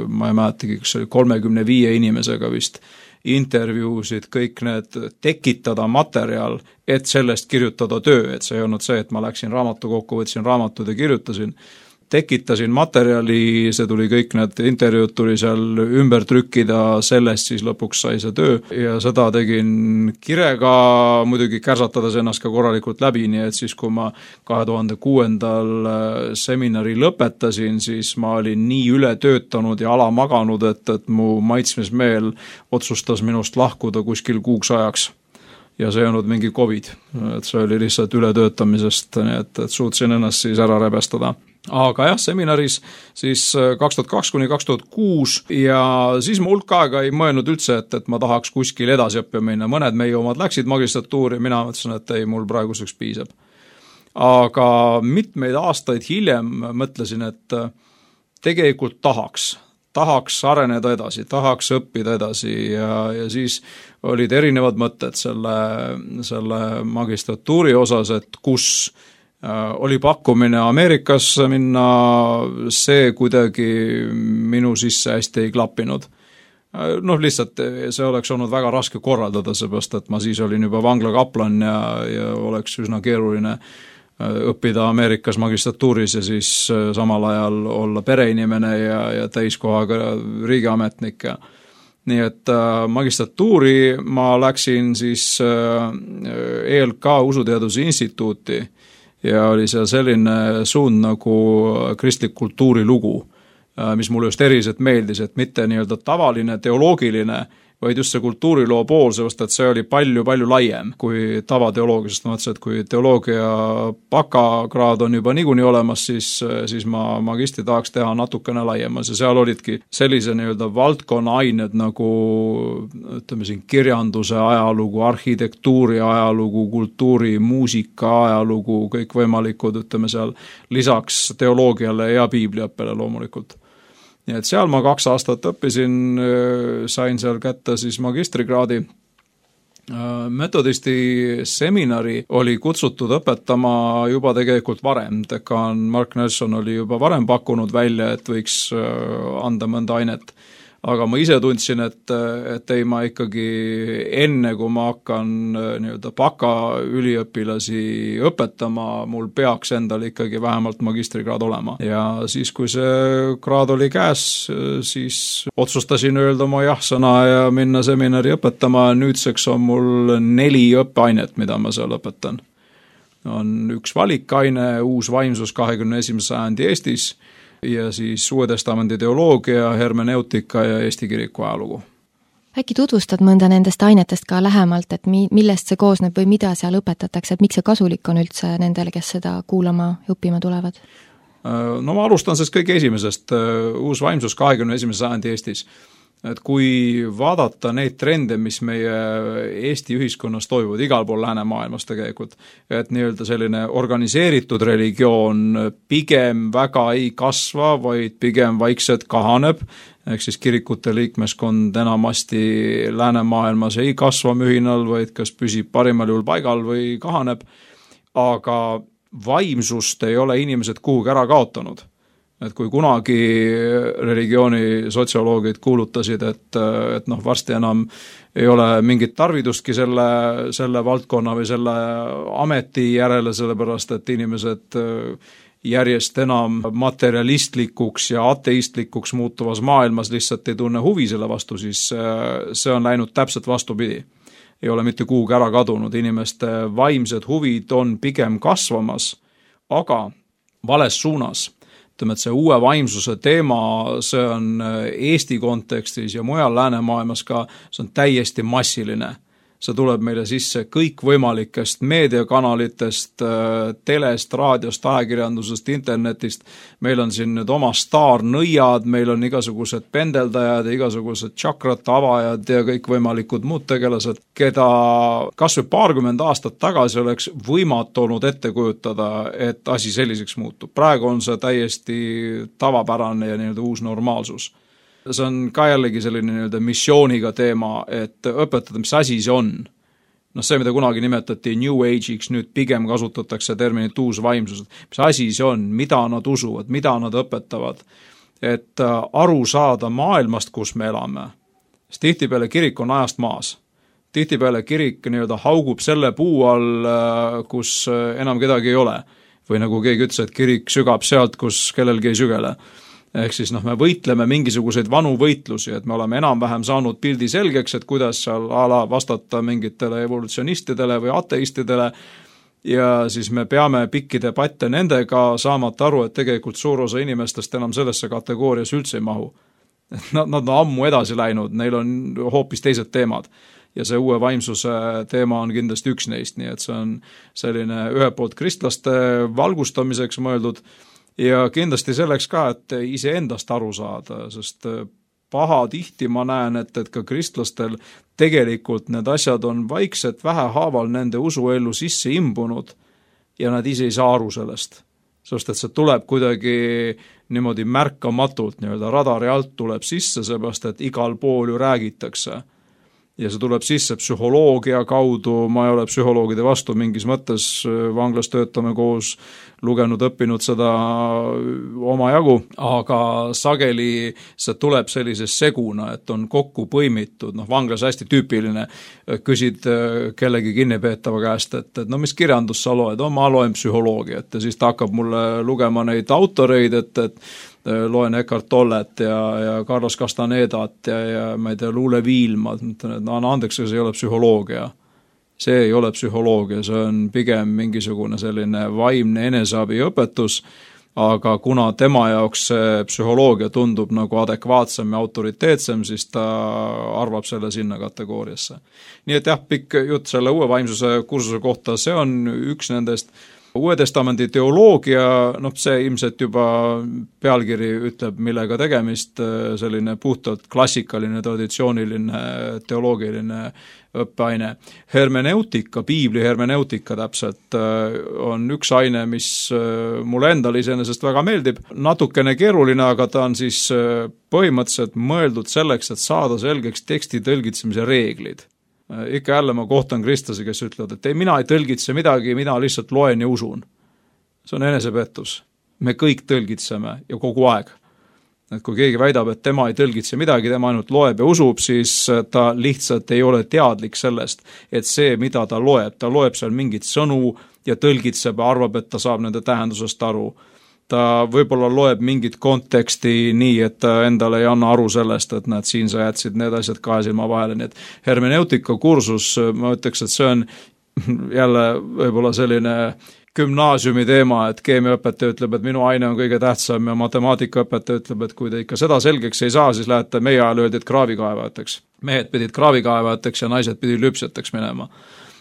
ma ei mäletagi, kas oli 35 inimesega vist, intervjuusid, kõik need tekitada materjal, et sellest kirjutada töö, et see ei olnud see, et ma läksin raamatu kokku, võtsin raamatud ja kirjutasin, tekitasin materjali, see tuli kõik need intervjuud tuli seal ümber trükkida, sellest siis lõpuks sai see töö ja seda tegin kirega, muidugi kärsatades ennast ka korralikult läbi, nii et siis kui ma 2006. Seminari lõpetasin, siis ma olin nii ületöötanud ja alamaganud, et mu maitsmismeel otsustas minust lahkuda kuskil kuuks ajaks. Ja see ei olnud mingi COVID, et see oli lihtsalt ületöötamisest, nii et suutsin ennast siis ära rebestada. Aga jah, seminaris siis 2002–2006 ja siis ma hulk aega ei mõelnud üldse, et ma tahaks kuskil edasi õppima minna. Mõned meie omad läksid magistratuuri, mina mõtlesin, et ei, mul praeguseks piisab. Aga mitmeid aastaid hiljem mõtlesin, et tegelikult tahaks areneda edasi, tahaks õppida edasi ja siis olid erinevad mõtted selle magistratuuri osas, et kus oli pakkumine Ameerikasse minna, see kuidagi minu sisse hästi ei klappinud. Lihtsalt see oleks olnud väga raske korraldada, seepärast, et ma siis olin juba vanglakaplan ja oleks üsna keeruline õppida Ameerikas magistratuuris ja siis samal ajal olla pereinimene ja täiskohaga riigiametnik. Nii et magistratuuri ma läksin siis ELK Usuteaduse Instituuti ja oli seal selline suund nagu kristlik kultuurilugu, mis mulle just eriliselt meeldis, et mitte nii-öelda tavaline teoloogiline, vaid just see kultuuriloo pool, sest et see oli palju laiem kui tavateoloogia, sest ma mõtlesin, et kui teoloogia bakakraad on juba niikuinii olemas, siis ma magistri tahaks teha natukene laiemas ja seal olidki sellise nii-öelda valdkonna ained nagu ütleme siin kirjanduse ajalugu, arhitektuuri ajalugu, kultuuri, muusika ajalugu, kõik võimalikud, ütleme seal lisaks teoloogiale ja piibliõppele loomulikult. Nii et seal ma 2 aastat õppisin, sain seal kätte siis magistrikraadi. Metodisti seminari oli kutsutud õpetama juba tegelikult varem. Dekaan Mark Nelson oli juba varem pakkunud välja, et võiks anda mõnda ainet. Aga ma ise tundsin, et ei ma ikkagi enne, kui ma hakkan nii-öelda baka üliõpilasi õpetama, mul peaks endal ikkagi vähemalt magistrikraad olema. Ja siis, kui see kraad oli käes, siis otsustasin öelda oma jah-sõna ja minna seminari õpetama. Nüüdseks on mul 4 õppeainet, mida ma seal õpetan. On üks valikaine, uus vaimsus 21. sajandi Eestis, ja siis Uue Testamendi teoloogia, hermeneutika ja Eesti kiriku ajalugu. Äkki tutvustad mõnda nendest ainetest ka lähemalt, et millest see koosneb või mida seal õpetatakse, et miks see kasulik on üldse nendele, kes seda kuulama ja õppima tulevad? No ma alustan sellest kõige esimesest, uus vaimsus 21. sajandi Eestis. Et kui vaadata neid trende, mis meie Eesti ühiskonnas toimuvad igal pool läänemaailmas tegelikult, et nii-öelda selline organiseeritud religioon pigem väga ei kasva, vaid pigem vaikselt kahaneb, ehk siis kirikute liikmeskond enamasti läänemaailmas ei kasva mühinal, vaid kas püsib parimal juhul paigal või kahaneb, aga vaimsust ei ole inimesed kuhugi ära kaotanud. Et kui kunagi religiooni sotsioloogid kuulutasid, et varsti enam ei ole mingit tarvidustki selle valdkonna või selle ameti järele, sellepärast et inimesed järjest enam materialistlikuks ja ateistlikuks muutuvas maailmas lihtsalt ei tunne huvi selle vastu, siis see on läinud täpselt vastupidi. Ei ole mitte kuhugi ära kadunud, inimeste vaimsed huvid on pigem kasvamas, aga vales suunas. Ütleme, et see uue vaimsuse teema, see on Eesti kontekstis ja mujal läänemaailmas ka, see on täiesti massiline. see tuleb meile sisse kõikvõimalikest meediakanalitest, telest, raadiost, ajakirjandusest, internetist. Meil on siin nüüd oma staarnõiad, meil on igasugused pendeldajad ja igasugused tšakrate avajad ja kõikvõimalikud muud tegelased, keda kas või 20 aastat tagasi oleks võimatu olnud ette kujutada, et asi selliseks muutub. Praegu on see täiesti tavapärane ja nii-öelda uus normaalsus. See on ka jällegi selline nii-öelda missiooniga teema, et õpetada, mis asi see on. See, mida kunagi nimetati New Age'iks, nüüd pigem kasutatakse terminit uus vaimsus. Mis asi see on, mida nad usuvad, mida nad õpetavad, et aru saada maailmast, kus me elame. Sest tihtipeale kirik on ajast maas. Tihtipeale kirik nii-öelda haugub selle puu all, kus enam kedagi ei ole. Või nagu keegi ütles, et kirik sügab sealt, kus kellelgi ei sügele. Ehk siis me võitleme mingisuguseid vanu võitlusi, et me oleme enam-vähem saanud pildi selgeks, et kuidas seal vastata mingitele evolutsionistidele või ateistidele ja siis me peame pikki debatte nendega, saamata aru, et tegelikult suur osa inimestest enam sellesse kategoorias üldse ei mahu. Nad on ammu edasi läinud, neil on hoopis teised teemad. Ja see uue vaimsuse teema on kindlasti üks neist, nii et see on selline ühelt poolt kristlaste valgustamiseks mõeldud ja kindlasti selleks ka, et iseendast aru saada, sest pahatihti ma näen, et ka kristlastel tegelikult need asjad on vaikselt vähehaaval nende usuellu sisse imbunud ja nad ise ei saa aru sellest. Sest et see tuleb kuidagi niimoodi märkamatult, nii-öelda radari alt tuleb sisse, seepärast et igal pool ju räägitakse. Ja see tuleb sisse psühholoogia kaudu, ma ei ole psühholoogide vastu mingis mõttes, vanglas töötame koos, lugenud, õppinud seda omajagu, aga sageli see tuleb sellises seguna, et on kokku põimitud, vanglas hästi tüüpiline, küsid kellegi kinnipeetava käest, et mis kirjandus sa loed, ma loen psühholoogiat ja siis ta hakkab mulle lugema neid autoreid, et loen Eckhart Tollet ja Carlos Castanedat ja ma ei tea, Luule Viilma, mõtlen, et andeks, see ei ole psühholoogia. See ei ole psühholoogia, see on pigem mingisugune selline vaimne eneseabiõpetus, aga kuna tema jaoks see psühholoogia tundub nagu adekvaatsem ja autoriteetsem, siis ta arvab selle sinna kategooriasse. Nii et jah, pikk jutt selle uue vaimsuse kursuse kohta, see on üks nendest. Uue testamendi teoloogia, see ilmselt juba pealkiri ütleb, millega tegemist, selline puhtalt klassikaline, traditsiooniline, teoloogiline õppeaine. Hermeneutika, piibli hermeneutika täpselt on üks aine, mis mulle endale iseenesest väga meeldib. Natukene keeruline, aga ta on siis põhimõtteliselt mõeldud selleks, et saada selgeks teksti tõlgitsemise reeglid. Ikka jälle ma kohtan kristlasi, kes ütlevad, et mina ei tõlgitse midagi, mina lihtsalt loen ja usun. See on enesepettus. Me kõik tõlgitseme ja kogu aeg. Et kui keegi väidab, et tema ei tõlgitse midagi, tema ainult loeb ja usub, siis ta lihtsalt ei ole teadlik sellest, et see, mida ta loeb seal mingit sõnu ja tõlgitseb ja arvab, et ta saab nende tähendusest aru. Ta võib-olla loeb mingit konteksti nii, et ta endale ei anna aru sellest, et näed, siin sa jätsid need asjad kahe silma vahele. Nii et hermeneutika kursus, ma ütleks, et see on jälle võib-olla selline gümnaasiumi teema, et keemiaõpetaja ütleb, et minu aine on kõige tähtsam ja matemaatikaõpetaja ütleb, et kui te ikka seda selgeks ei saa, siis lähete meie ajal öeldi, et kraavikaevajateks. Mehed pidid kraavikaevajateks ja naised pidid lüpsjateks minema.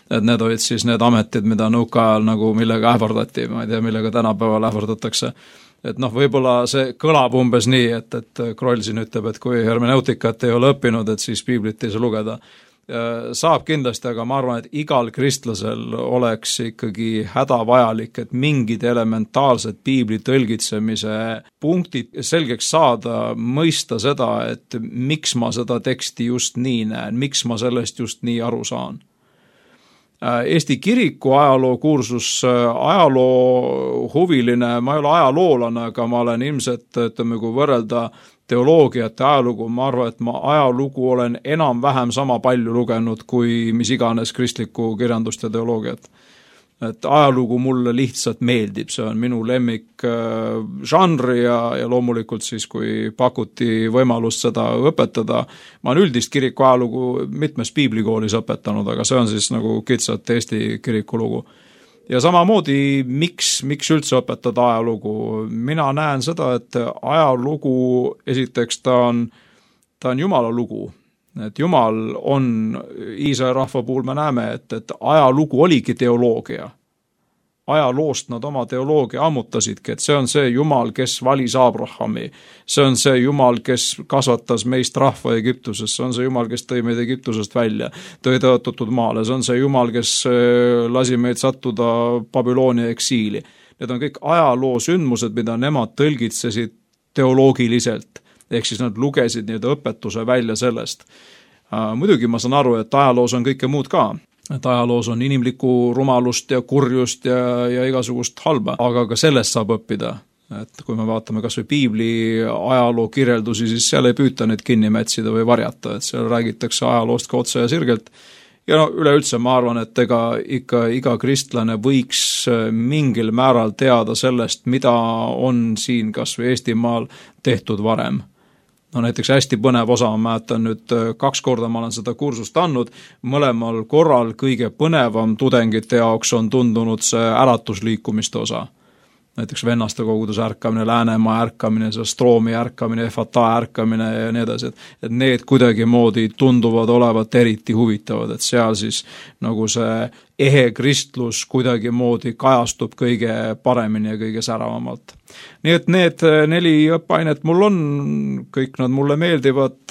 Et need olid siis need ametid, mida nõukaajal nagu millega ähvardati, ma ei tea, millega tänapäeval ähvardatakse. Et võib-olla see kõlab umbes nii, et Kroll siin ütleb, et kui hermeneutikat ei ole õppinud, et siis piiblit ei saa lugeda. Saab kindlasti, aga ma arvan, et igal kristlasel oleks ikkagi hädavajalik, et mingid elementaalsed piibli tõlgitsemise punktid selgeks saada, mõista seda, et miks ma seda teksti just nii näen, miks ma sellest just nii aru saan. Eesti kiriku ajaloo kursus, ajaloo huviline, ma ei ole ajaloolane, aga ma olen ilmselt, kui võrrelda teoloogiat ja ajalugu, ma arvan, et ma ajalugu olen enam-vähem sama palju lugenud kui mis iganes kristlikku kirjandust ja teoloogiat. Et ajalugu mulle lihtsalt meeldib, see on minu lemmik žanri ja loomulikult siis, kui pakuti võimalust seda õpetada. Ma olen üldist kiriku ajalugu mitmes piiblikoolis õpetanud, aga see on siis nagu kitsalt Eesti kiriku lugu. Ja samamoodi, miks üldse õpetada ajalugu? Mina näen seda, et ajalugu esiteks ta on Jumala lugu. et Jumal on, Iisraeli rahva puhul me näeme, et ajalugu oligi teoloogia. Ajaloost nad oma teoloogia ammutasidki, et see on see Jumal, kes valis Abrahami, see on see Jumal, kes kasvatas meist rahva Egiptusest, see on see Jumal, kes tõi meid Egiptusest välja, tõi tõotatud maale, see on see Jumal, kes lasi meid sattuda Babyloonia eksiili. Need on kõik ajaloo sündmused, mida nemad tõlgitsesid teoloogiliselt, ehk siis nad lugesid nii õpetuse välja sellest. Muidugi ma saan aru, et ajaloos on kõike muud ka. Et ajaloos on inimlikku rumalust ja kurjust ja igasugust halba, aga ka sellest saab õppida. Et kui me vaatame kas või piibli ajaloo kirjeldusi, siis seal ei püüta neid kinni mätsida või varjata, et seal räägitakse ajaloost ka otse ja sirgelt. Ja no üleüldse ma arvan, et iga kristlane võiks mingil määral teada sellest, mida on siin kas või Eestimaal tehtud varem. No näiteks hästi põnev osa, ma mäletan nüüd 2 korda ma olen seda kursust andnud, mõlemal korral kõige põnevam tudengite jaoks on tundunud see äratusliikumiste osa. Näiteks vennaste koguduse ärkamine, Läänemaa ärkamine, Stroomi ärkamine, Efata ärkamine ja nii edasi, et need kuidagi moodi tunduvad olevat eriti huvitavad, et seal siis nagu see ehe kristlus kuidagi moodi kajastub kõige paremini ja kõige säravamalt. Nii et need 4 õppeainet mul on, kõik nad mulle meeldivad,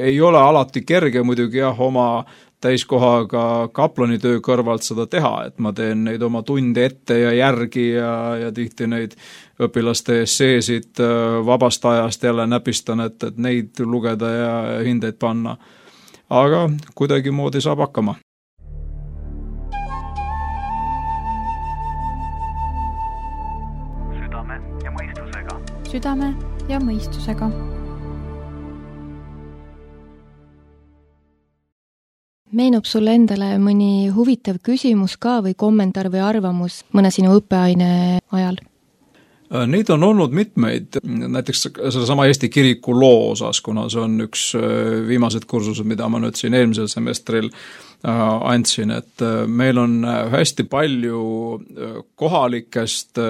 ei ole alati kerge muidugi oma täiskohaga kaplanitöö kõrvalt seda teha, et ma teen neid oma tunde ette ja järgi ja tihti neid õpilaste esseesid vabast ajast jälle näpistan, et neid lugeda ja hindeid panna. Aga kuidagi moodi saab hakkama. Südame ja mõistusega. Meenub sulle endale mõni huvitav küsimus ka või kommentaar või arvamus mõne sinu õppeaine ajal? Neid on olnud mitmeid, näiteks sellesama Eesti kiriku loo osas, kuna see on üks viimased kursused, mida ma nüüd siin eelmisel semestril andsin, et meil on hästi palju kohalikest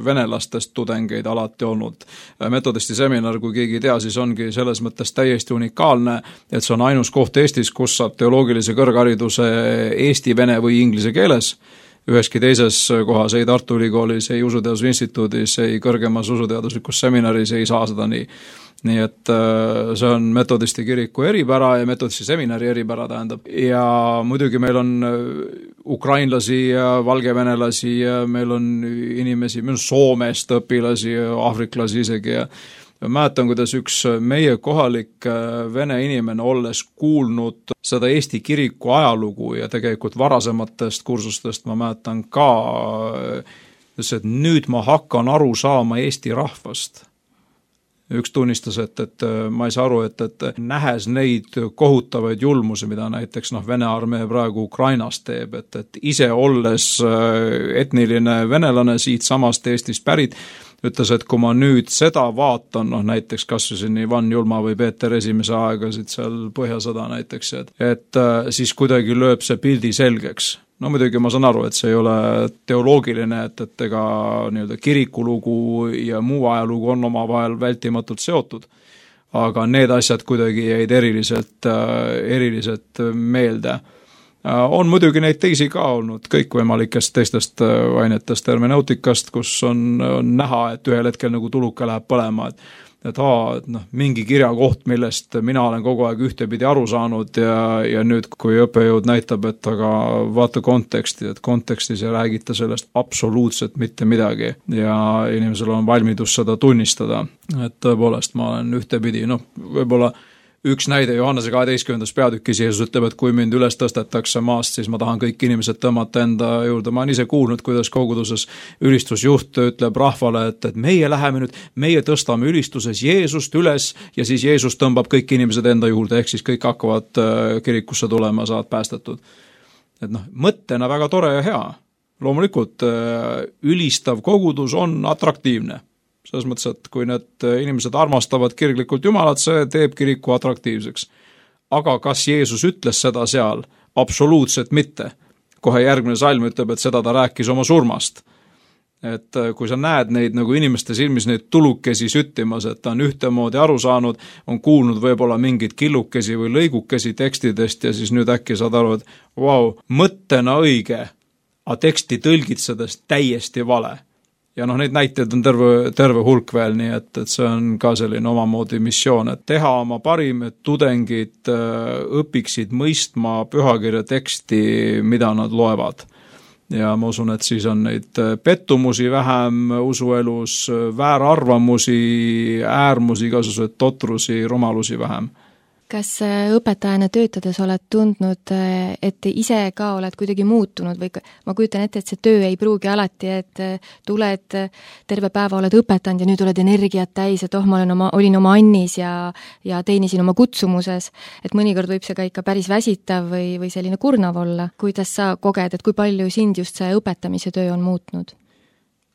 venelastest tudengeid alati olnud. Metodisti seminar, kui keegi ei tea, siis ongi selles mõttes täiesti unikaalne, et see on ainus koht Eestis, kus saab teoloogilise kõrghariduse eesti, vene või inglise keeles. Üheski teises kohas, ei Tartu Ülikoolis, ei Usuteaduse Instituudis, ei kõrgemas usuteaduslikus seminaris ei saa seda nii. Nii et see on metodisti kiriku eripära ja metodisti seminari eripära tähendab. Ja muidugi meil on ukrainlasi ja valgevenelasi ja meil on inimesi, meil on Soomest õpilasi ja aafriklasi isegi ja mäletan, kuidas üks meie kohalik vene inimene olles kuulnud seda Eesti kiriku ajalugu ja tegelikult varasematest kursustest ma mäletan ka, et nüüd ma hakkan aru saama Eesti rahvast. Üks tunnistas, et ma ei saa aru, et nähes neid kohutavaid julmusi, mida näiteks Vene armee praegu Ukrainas teeb, et ise olles etniline venelane siit samast Eestist pärit, ütles, et kui ma nüüd seda vaatan, näiteks kas siin Ivan Julma või Peeter esimese aegasid seal Põhjasõda näiteks, et siis kuidagi lööb see pildi selgeks. No muidugi ma saan aru, et see ei ole teoloogiline, et ega nii-öelda kirikulugu ja muu ajalugu on omavahel vältimatult seotud, aga need asjad kuidagi jäid eriliselt meelde. On muidugi neid teisi ka olnud, kõikvõimalikest teistest ainetest hermeneutikast, kus on näha, et ühel hetkel nagu tuluke läheb põlema, et mingi kirjakoht, millest mina olen kogu aeg ühtepidi aru saanud ja nüüd, kui õppejõud näitab, et aga vaata konteksti, et kontekstis ei räägita sellest absoluutselt mitte midagi ja inimesel on valmidus seda tunnistada, et tõepoolest ma olen ühtepidi, võib-olla üks näide Johannese 12. peatükis Jeesus ütleb, et kui mind üles tõstetakse maast, siis ma tahan kõik inimesed tõmmata enda juurde. Ma olen ise kuulnud, kuidas koguduses ülistusjuht ütleb rahvale, et meie läheme nüüd, meie tõstame ülistuses Jeesust üles ja siis Jeesus tõmbab kõik inimesed enda juurde, ehk siis kõik hakkavad kirikusse tulema, saavad päästetud. Et mõttena väga tore ja hea. Loomulikult ülistav kogudus on atraktiivne. Selles mõttes, et kui need inimesed armastavad kirglikult Jumalat, see teeb kiriku atraktiivseks. Aga kas Jeesus ütles seda seal? Absoluutselt mitte. Kohe järgmine salm ütleb, et seda ta rääkis oma surmast. et kui sa näed neid nagu inimeste silmis neid tulukesi süttimas, et ta on ühtemoodi aru saanud, on kuulnud võib-olla mingeid killukesi või lõigukesi tekstidest ja siis nüüd äkki saad aru, et vau, mõttena õige, aga teksti tõlgitsedes täiesti vale. Ja neid näiteid on terve hulk veel, nii et see on ka selline omamoodi missioon, et teha oma parim, et tudengid õpiksid mõistma pühakirja teksti, mida nad loevad. Ja ma usun, et siis on neid pettumusi vähem usuelus, väärarvamusi, äärmusi, igasugused totrusi, rumalusi vähem. Kas õpetajana töötades oled tundnud, et ise ka oled kuidagi muutunud või ma kujutan ette, et see töö ei pruugi alati, et tuled terve päeva, oled õpetanud ja nüüd oled energiat täis, et ma olin oma annis ja teenisin oma kutsumuses, et mõnikord võib see ka ikka päris väsitav või selline kurnav olla. Kuidas sa koged, et kui palju sind just see õpetamise töö on muutnud?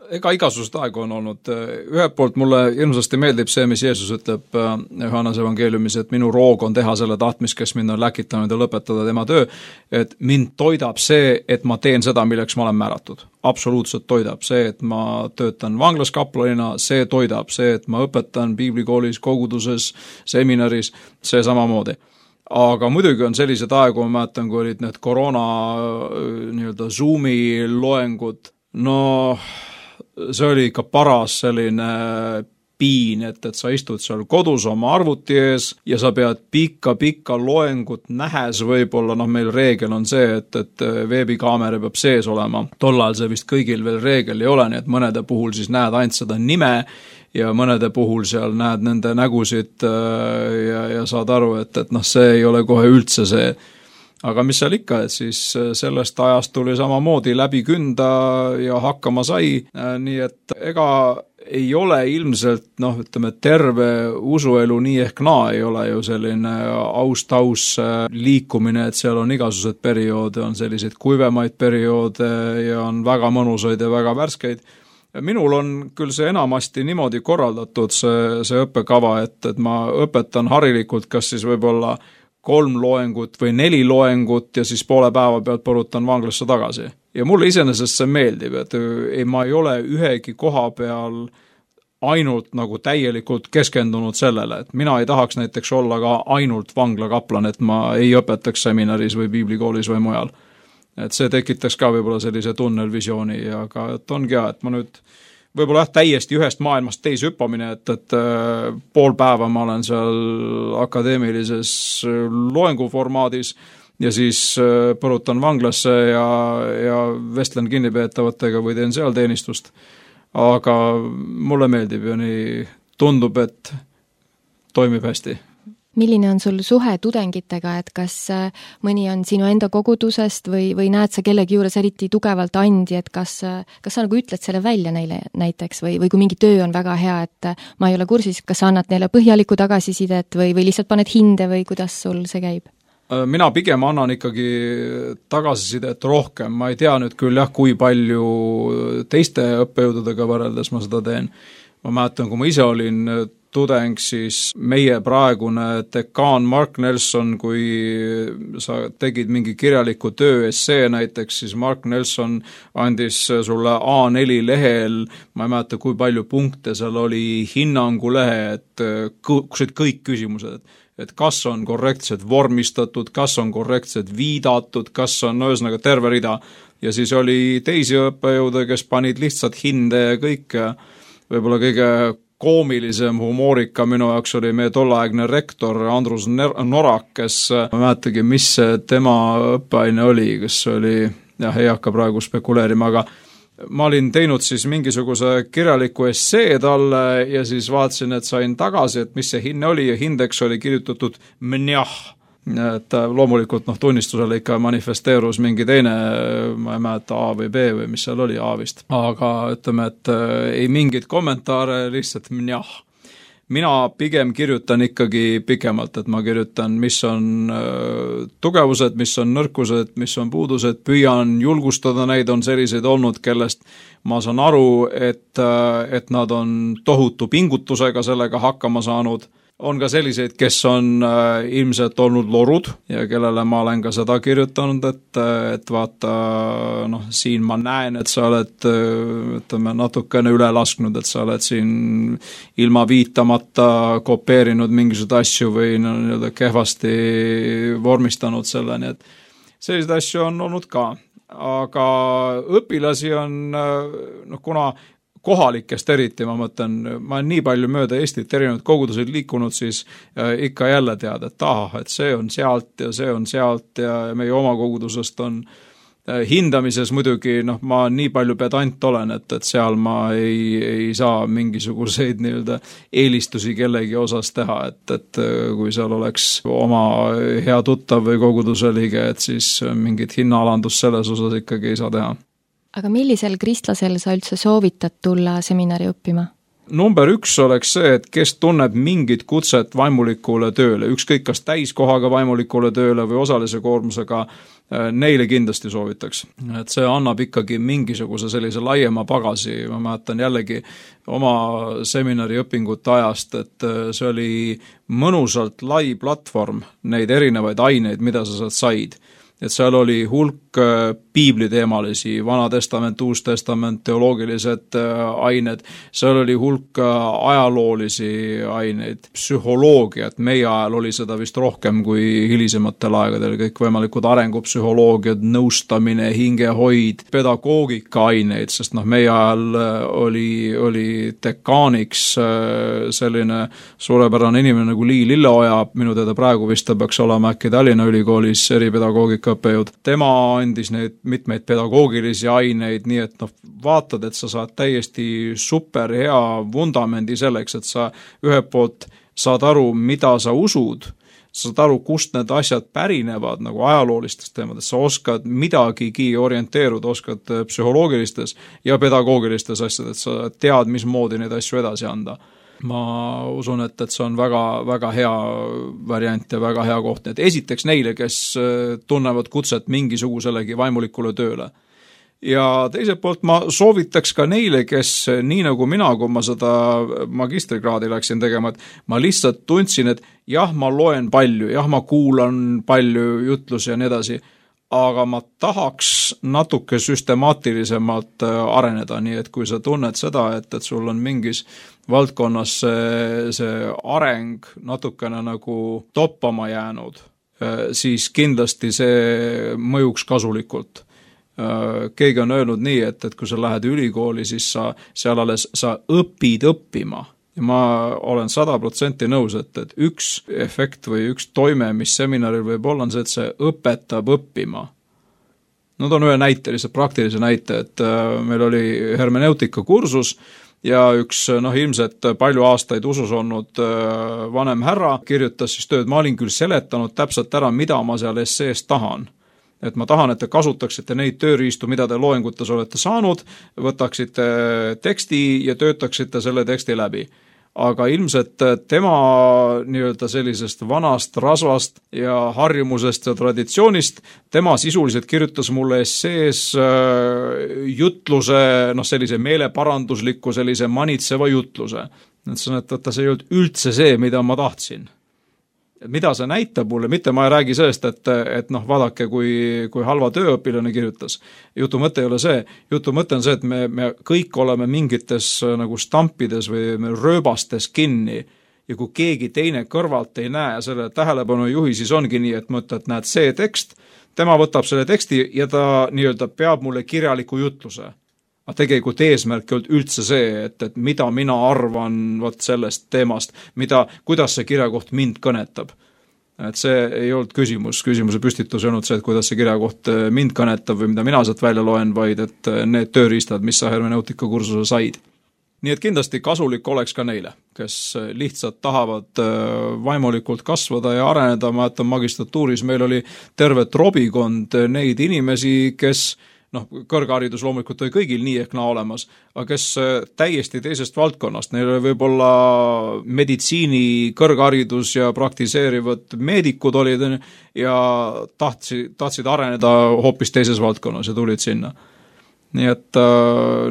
Ega igasugust aegu on olnud. Ühelt poolt mulle hirmsasti meeldib see, mis Jeesus ütleb Johannese evangeeliumis, et minu roog on teha selle tahtmist, kes mind on läkitanud ja lõpetada tema töö, et mind toidab see, et ma teen seda, milleks ma olen määratud. Absoluutselt toidab see, et ma töötan vanglas kaplanina, see toidab see, et ma õpetan piiblikoolis, koguduses, seminaris, see samamoodi. Aga muidugi on sellised aegu, ma mäletan, kui olid need koroona Zoomi loengud, see oli ikka paras selline piin, et sa istud seal kodus oma arvuti ees ja sa pead pikka loengut nähes võib-olla, meil reegel on see, et veebikaamera peab sees olema. Tol ajal see vist kõigil veel reegel ei ole, nii et mõnede puhul siis näed ainult seda nime ja mõnede puhul seal näed nende nägusid ja saad aru, et see ei ole kohe üldse see. Aga mis seal ikka, et siis sellest ajast tuli samamoodi läbi künda ja hakkama sai, nii et ega ei ole ilmselt, terve usuelu nii ehk naa ei ole ju selline aus liikumine, et seal on igasugused perioode, on selliseid kuivemaid perioode ja on väga mõnusaid ja väga värskeid. Minul on küll see enamasti niimoodi korraldatud, see õppekava, et ma õpetan harilikult, kas siis võib-olla 3 loengut või 4 loengut ja siis poole päeva pealt põrutan vanglasse tagasi. Ja mulle iseenesest see meeldib, et ma ei ole ühegi koha peal ainult täielikult keskendunud sellele, et mina ei tahaks näiteks olla ka ainult vanglakaplan, et ma ei õpetaks seminaris või piiblikoolis või mujal. Et see tekitaks ka võib-olla sellise tunnelvisiooni, aga et ongi et ma nüüd võib-olla täiesti ühest maailmast teise hüppamine, et pool päeva ma olen seal akadeemilises loenguformaadis ja siis põrutan vanglasse ja vestlen kinnipeetavatega või teen seal teenistust. Aga mulle meeldib ja nii tundub, et toimib hästi. Milline on sul suhe tudengitega, et kas mõni on sinu enda kogudusest või näed sa kellegi juures eriti tugevalt andi, et kas sa ütled selle välja neile näiteks või kui mingi töö on väga hea, et ma ei ole kursis, kas sa annad neile põhjalikku tagasisidet või lihtsalt paned hinde või kuidas sul see käib? Mina pigem annan ikkagi tagasisidet rohkem, ma ei tea nüüd küll kui palju teiste õppejõududega võrreldes ma seda teen. Ma mäletan, kui ma ise olin tudeng, siis meie praegune dekaan Mark Nelson, kui sa tegid mingi kirjaliku töö essee näiteks, siis Mark Nelson andis sulle A4 lehel, ma ei mäleta, kui palju punkte seal oli, hinnangulehe, et kõik küsimused, et kas on korrektselt vormistatud, kas on korrektselt viidatud, kas on ühesõnaga terve rida. Ja siis oli teisi õppejõude, kes panid lihtsalt hinde ja kõik. Võib-olla kõige koomilisem humoorika minu jaoks oli meie tolleaegne rektor Andrus Norak, kes ma mäletagi, mis tema õppeaine oli, kes oli, ei hakka praegu spekuleerima, aga ma olin teinud siis mingisuguse kirjaliku essee talle ja siis vaatasin, et sain tagasi, et mis see hinne oli ja hindeks oli kirjutatud mnjah. Et loomulikult tunnistusele ikka manifesteerus mingi teine, ma ei mäleta A või B või mis seal oli A vist. Aga ütleme, et ei mingit kommentaare, lihtsalt mnjah. Mina pigem kirjutan ikkagi pikemalt, et ma kirjutan, mis on tugevused, mis on nõrkused, mis on puudused, püüan julgustada neid, on selliseid olnud, kellest ma saan aru, et nad on tohutu pingutusega sellega hakkama saanud. on ka selliseid, kes on ilmselt olnud lorud ja kellele ma olen ka seda kirjutanud, et vaata, noh, siin ma näen, et sa oled, ütleme, natukene üle lasknud, et sa oled siin ilma viitamata kopeerinud mingisuguseid asju või nii-öelda kehvasti vormistanud selle, nii et selliseid asju on olnud ka. Aga õpilasi on, noh, kuna kohalikest eriti, ma mõtlen, ma olen nii palju mööda Eestit erinevad kogudused liikunud, siis ikka jälle tead, et et see on sealt ja see on sealt ja meie oma kogudusest on hindamises muidugi, noh, ma nii palju pedant olen, et seal ma ei saa mingisuguseid nii-öelda eelistusi kellegi osas teha, et kui seal oleks oma hea tuttav või koguduse liige, et siis mingit hinnaalandust selles osas ikkagi ei saa teha. Aga millisel kristlasel sa üldse soovitad tulla seminari õppima? Number 1 oleks see, et kes tunneb mingit kutset vaimulikule tööle, ükskõik kas täiskohaga vaimulikule tööle või osalise koormusega, neile kindlasti soovitaks. Et see annab ikkagi mingisuguse sellise laiema pagasi, ma mäletan jällegi oma seminari õpingute ajast, et see oli mõnusalt lai platvorm neid erinevaid aineid, mida sa sealt said. Et seal oli hulk piibliteemalisi, Vana Testament, Uus Testament, teoloogilised ained, seal oli hulk ajaloolisi aineid, psühholoogiat, meie ajal oli seda vist rohkem kui hilisematel aegadel, kõik võimalikud arengupsühholoogiad, nõustamine, hingehoid, pedagoogika aineid, sest noh, meie ajal oli dekaaniks selline suurepärane inimene nagu Lii Lilleoja, minu teada praegu vist ta peaks olema äkki Tallinna Ülikoolis eripedagoogika õppejõud. Tema andis neid mitmeid pedagoogilisi aineid, nii et noh, vaatad, et sa saad täiesti super hea vundamendi selleks, et sa ühelt poolt saad aru, mida sa usud, sa saad aru, kust need asjad pärinevad nagu ajaloolistest teemadest, sa oskad midagigi orienteeruda, oskad psühholoogilistes ja pedagoogilistes asjades, sa tead, mismoodi neid asju edasi anda. Ma usun, et see on väga, väga hea variant ja väga hea koht. Et esiteks neile, kes tunnevad kutset mingisuguselegi vaimulikule tööle. Ja teiselt poolt ma soovitaks ka neile, kes nii nagu mina, kui ma seda magistrikraadi läksin tegema, et ma lihtsalt tundsin, et jah, ma loen palju, jah, ma kuulan palju jutlusi ja nii edasi, aga ma tahaks natuke süstemaatilisemalt areneda, nii et kui sa tunned seda, et sul on mingis valdkonnas see areng natukene nagu toppama jäänud, siis kindlasti see mõjuks kasulikult. Keegi on öelnud nii, et kui sa lähed ülikooli, siis seal alles sa õpid õppima. Ja ma olen 100% nõus, et üks efekt või üks toime, mis seminaril võib olla, on see, et see õpetab õppima. No toon ühe näite, lihtsalt praktilise näite, et meil oli hermeneutika kursus ja üks ilmselt palju aastaid usus olnud vanem härra kirjutas siis tööd, ma olin küll seletanud täpselt ära, mida ma seal essees tahan. Et ma tahan, et te kasutaksite neid tööriistu, mida te loengutes olete saanud, võtaksite teksti ja töötaksite selle teksti läbi. Aga ilmselt tema nii-öelda sellisest vanast rasvast ja harjumusest ja traditsioonist, tema sisuliselt kirjutas mulle essees jutluse, sellise meeleparandusliku, sellise manitseva jutluse. Et see ei olnud üldse see, mida ma tahtsin. Mida see näitab mulle, mitte ma ei räägi sellest, et vaadake, kui halva tööõpilane kirjutas. Jutu mõte ei ole see. Jutu mõte on see, et me kõik oleme mingites nagu stampides või rööbastes kinni ja kui keegi teine kõrvalt ei näe selle tähelepanu juhi, siis ongi nii, et mõtled, et näed see tekst, tema võtab selle teksti ja ta nii-öelda peab mulle kirjaliku jutluse. Aga tegelikult eesmärk ei olnud üldse see, et mida mina arvan sellest teemast, kuidas see kirjakoht mind kõnetab. Et see ei olnud küsimuse püstitus ei olnud see, et kuidas see kirjakoht mind kõnetab või mida mina sealt välja loen, vaid et need tööriistad, mis sa hermeneutika kursuse said. Nii et kindlasti kasulik oleks ka neile, kes lihtsalt tahavad vaimulikult kasvada ja areneda. Ma jätan magistratuuris, meil oli terve trobikond neid inimesi, kes kõrgharidus loomulikult oli kõigil nii ehk naa olemas, aga kes täiesti teisest valdkonnast, neil oli võib-olla meditsiini kõrgharidus ja praktiseerivad meedikud olid ja tahtsid areneda hoopis teises valdkonnas ja tulid sinna. Nii et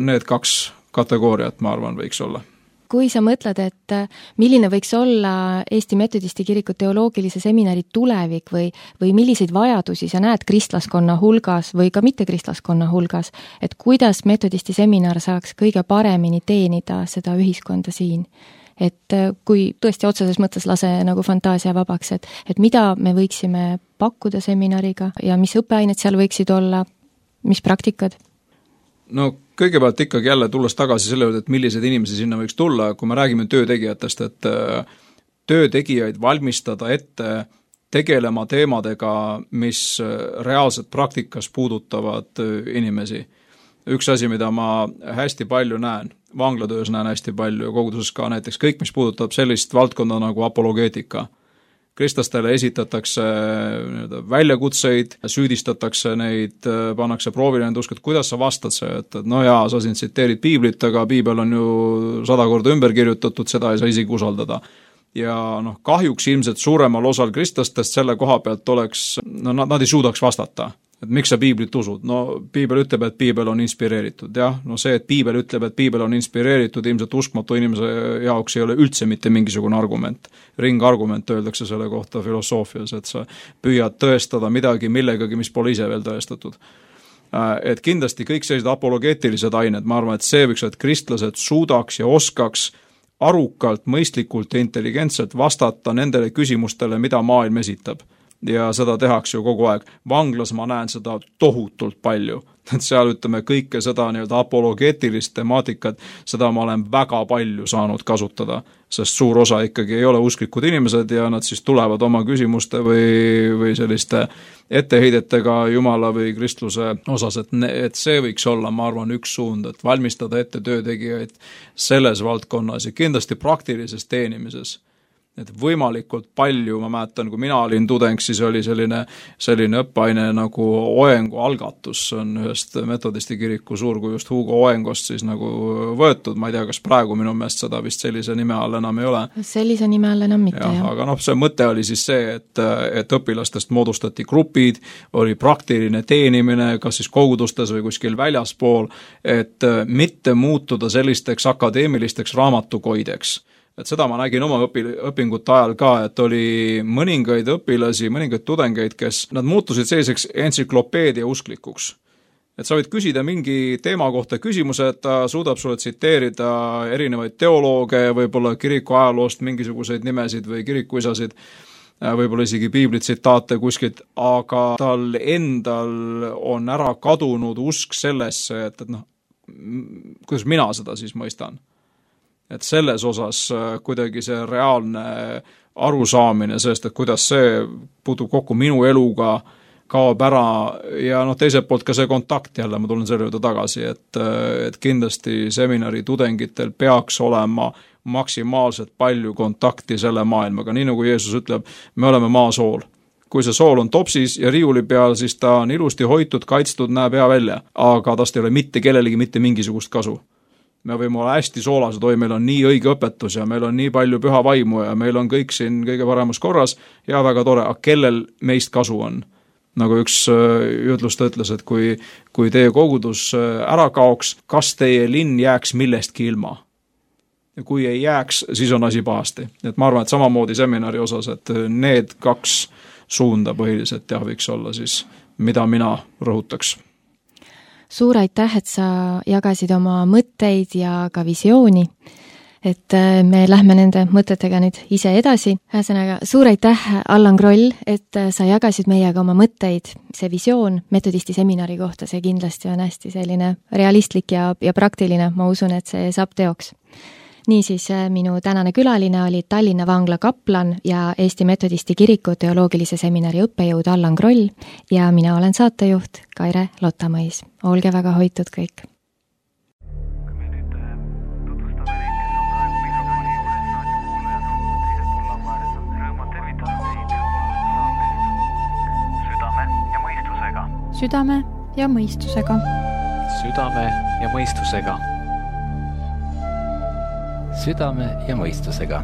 need 2 kategooriat, ma arvan, võiks olla. kui sa mõtled, et milline võiks olla Eesti Metodisti Kiriku teoloogilise seminari tulevik või milliseid vajadusi sa näed kristlaskonna hulgas või ka mitte kristlaskonna hulgas, et kuidas Metodisti seminar saaks kõige paremini teenida seda ühiskonda siin? Et kui tõesti otseses mõttes lase nagu fantaasia vabaks, et mida me võiksime pakkuda seminariga ja mis õppeained seal võiksid olla, mis praktikad? No kõigepealt ikkagi jälle tulles tagasi selle juurde, et millised inimesi sinna võiks tulla, kui me räägime töötegijatest, et töötegijaid valmistada ette tegelema teemadega, mis reaalselt praktikas puudutavad inimesi. Üks asi, mida ma hästi palju näen, vanglatöös näen hästi palju ja koguduses ka näiteks kõik, mis puudutab sellist valdkonda nagu apologeetika. Kristlastele esitatakse väljakutseid, süüdistatakse neid, pannakse proovile nende usk, et kuidas sa vastad see, et no jaa, sa siin tsiteerid piiblit, aga piibel on ju 100 korda ümber kirjutatud, seda ei saa isegi usaldada. Ja kahjuks ilmselt suuremal osal kristlastest selle koha pealt oleks, nad ei suudaks vastata. Et miks sa piiblit usud? No piibel ütleb, et piibel on inspireeritud, jah. No see, et piibel ütleb, et piibel on inspireeritud, ilmselt uskmatu inimese jaoks ei ole üldse mitte mingisugune argument. Ringargument öeldakse selle kohta filosoofias, et sa püüad tõestada midagi millegagi, mis pole ise veel tõestatud. Et kindlasti kõik sellised apologeetilised ained, ma arvan, et see võiks, et kristlased suudaks ja oskaks arukalt, mõistlikult ja intelligentselt vastata nendele küsimustele, mida maailm esitab. Ja seda tehakse ju kogu aeg. Vanglas ma näen seda tohutult palju. Et seal ütleme kõike seda nii-öelda apologeetilist temaatikat, seda ma olen väga palju saanud kasutada, sest suur osa ikkagi ei ole usklikud inimesed ja nad siis tulevad oma küsimuste või selliste etteheidetega Jumala või kristluse osas, et see võiks olla, ma arvan, üks suund, et valmistada ette töötegijaid selles valdkonnas ja kindlasti praktilises teenimises. Et võimalikult palju, ma mäletan, kui mina olin tudeng, siis oli selline õppeaine nagu Oengu algatus, on ühest Metodisti kiriku suurkujust Hugo Oengost siis nagu võetud, ma ei tea, kas praegu minu meelest seda vist sellise nime all enam ei ole. Sellise nime all enam mitte, jah. Aga see mõte oli siis see, et õpilastest moodustati grupid, oli praktiline teenimine, kas siis kogudustes või kuskil väljaspool, et mitte muutuda sellisteks akadeemilisteks raamatukoideks. Et seda ma nägin oma õpingute ajal ka, et oli mõningaid õpilasi, mõningaid tudengeid, kes nad muutusid selliseks entsüklopeedia usklikuks. Et sa võid küsida mingi teema kohta küsimuse, et ta suudab sulle tsiteerida erinevaid teolooge, võib-olla kiriku ajaloost mingisuguseid nimesid või kirikuisasid, võib-olla isegi piibli tsitaate kuskilt, aga tal endal on ära kadunud usk sellesse, et kuidas mina seda siis mõistan. Et selles osas kuidagi see reaalne arusaamine sellest, et kuidas see puutub kokku minu eluga, kaob ära ja teiselt poolt ka see kontakt jälle, ma tulen selle juurde tagasi, et kindlasti seminari tudengitel peaks olema maksimaalselt palju kontakti selle maailmaga, nii nagu Jeesus ütleb, me oleme maasool. Kui see sool on topsis ja riiuli peal, siis ta on ilusti hoitud, kaitstud, näeb hea välja, aga tast ei ole mitte kellelegi mitte mingisugust kasu. Me võime olla hästi soolased, meil on nii õige õpetus ja meil on nii palju püha vaimu ja meil on kõik siin kõige paremas korras ja väga tore, aga kellel meist kasu on? Nagu üks jutlust ütles, et kui teie kogudus ära kaoks, kas teie linn jääks millestki ilma? Ja kui ei jääks, siis on asi pahasti. Et ma arvan, et samamoodi seminari osas, et need 2 suunda põhiliselt võiks olla siis, mida mina rõhutaks. Suur aitäh, et sa jagasid oma mõtteid ja ka visiooni, et me lähme nende mõtetega nüüd ise edasi. Ühesõnaga, suur aitäh, Allan Kroll, et sa jagasid meiega oma mõtteid. See visioon Metodisti seminari kohta, see kindlasti on hästi selline realistlik ja praktiline, ma usun, et see saab teoks. Niisiis, minu tänane külaline oli Tallinna vangla kaplan ja Eesti Metodisti Kiriku teoloogilise seminari õppejõud Allan Kroll ja mina olen saatejuht Kaire Lotamõis. Olge väga hoitud kõik! Me nüüd tutvustame neid, kes on praegu mikrofoni juures, raadiokuulajad on teisel pool lauaares, on rõõmad tervitada teid saatest Südame ja mõistusega. Südame ja mõistusega. Südame ja mõistusega. Südame ja mõistusega.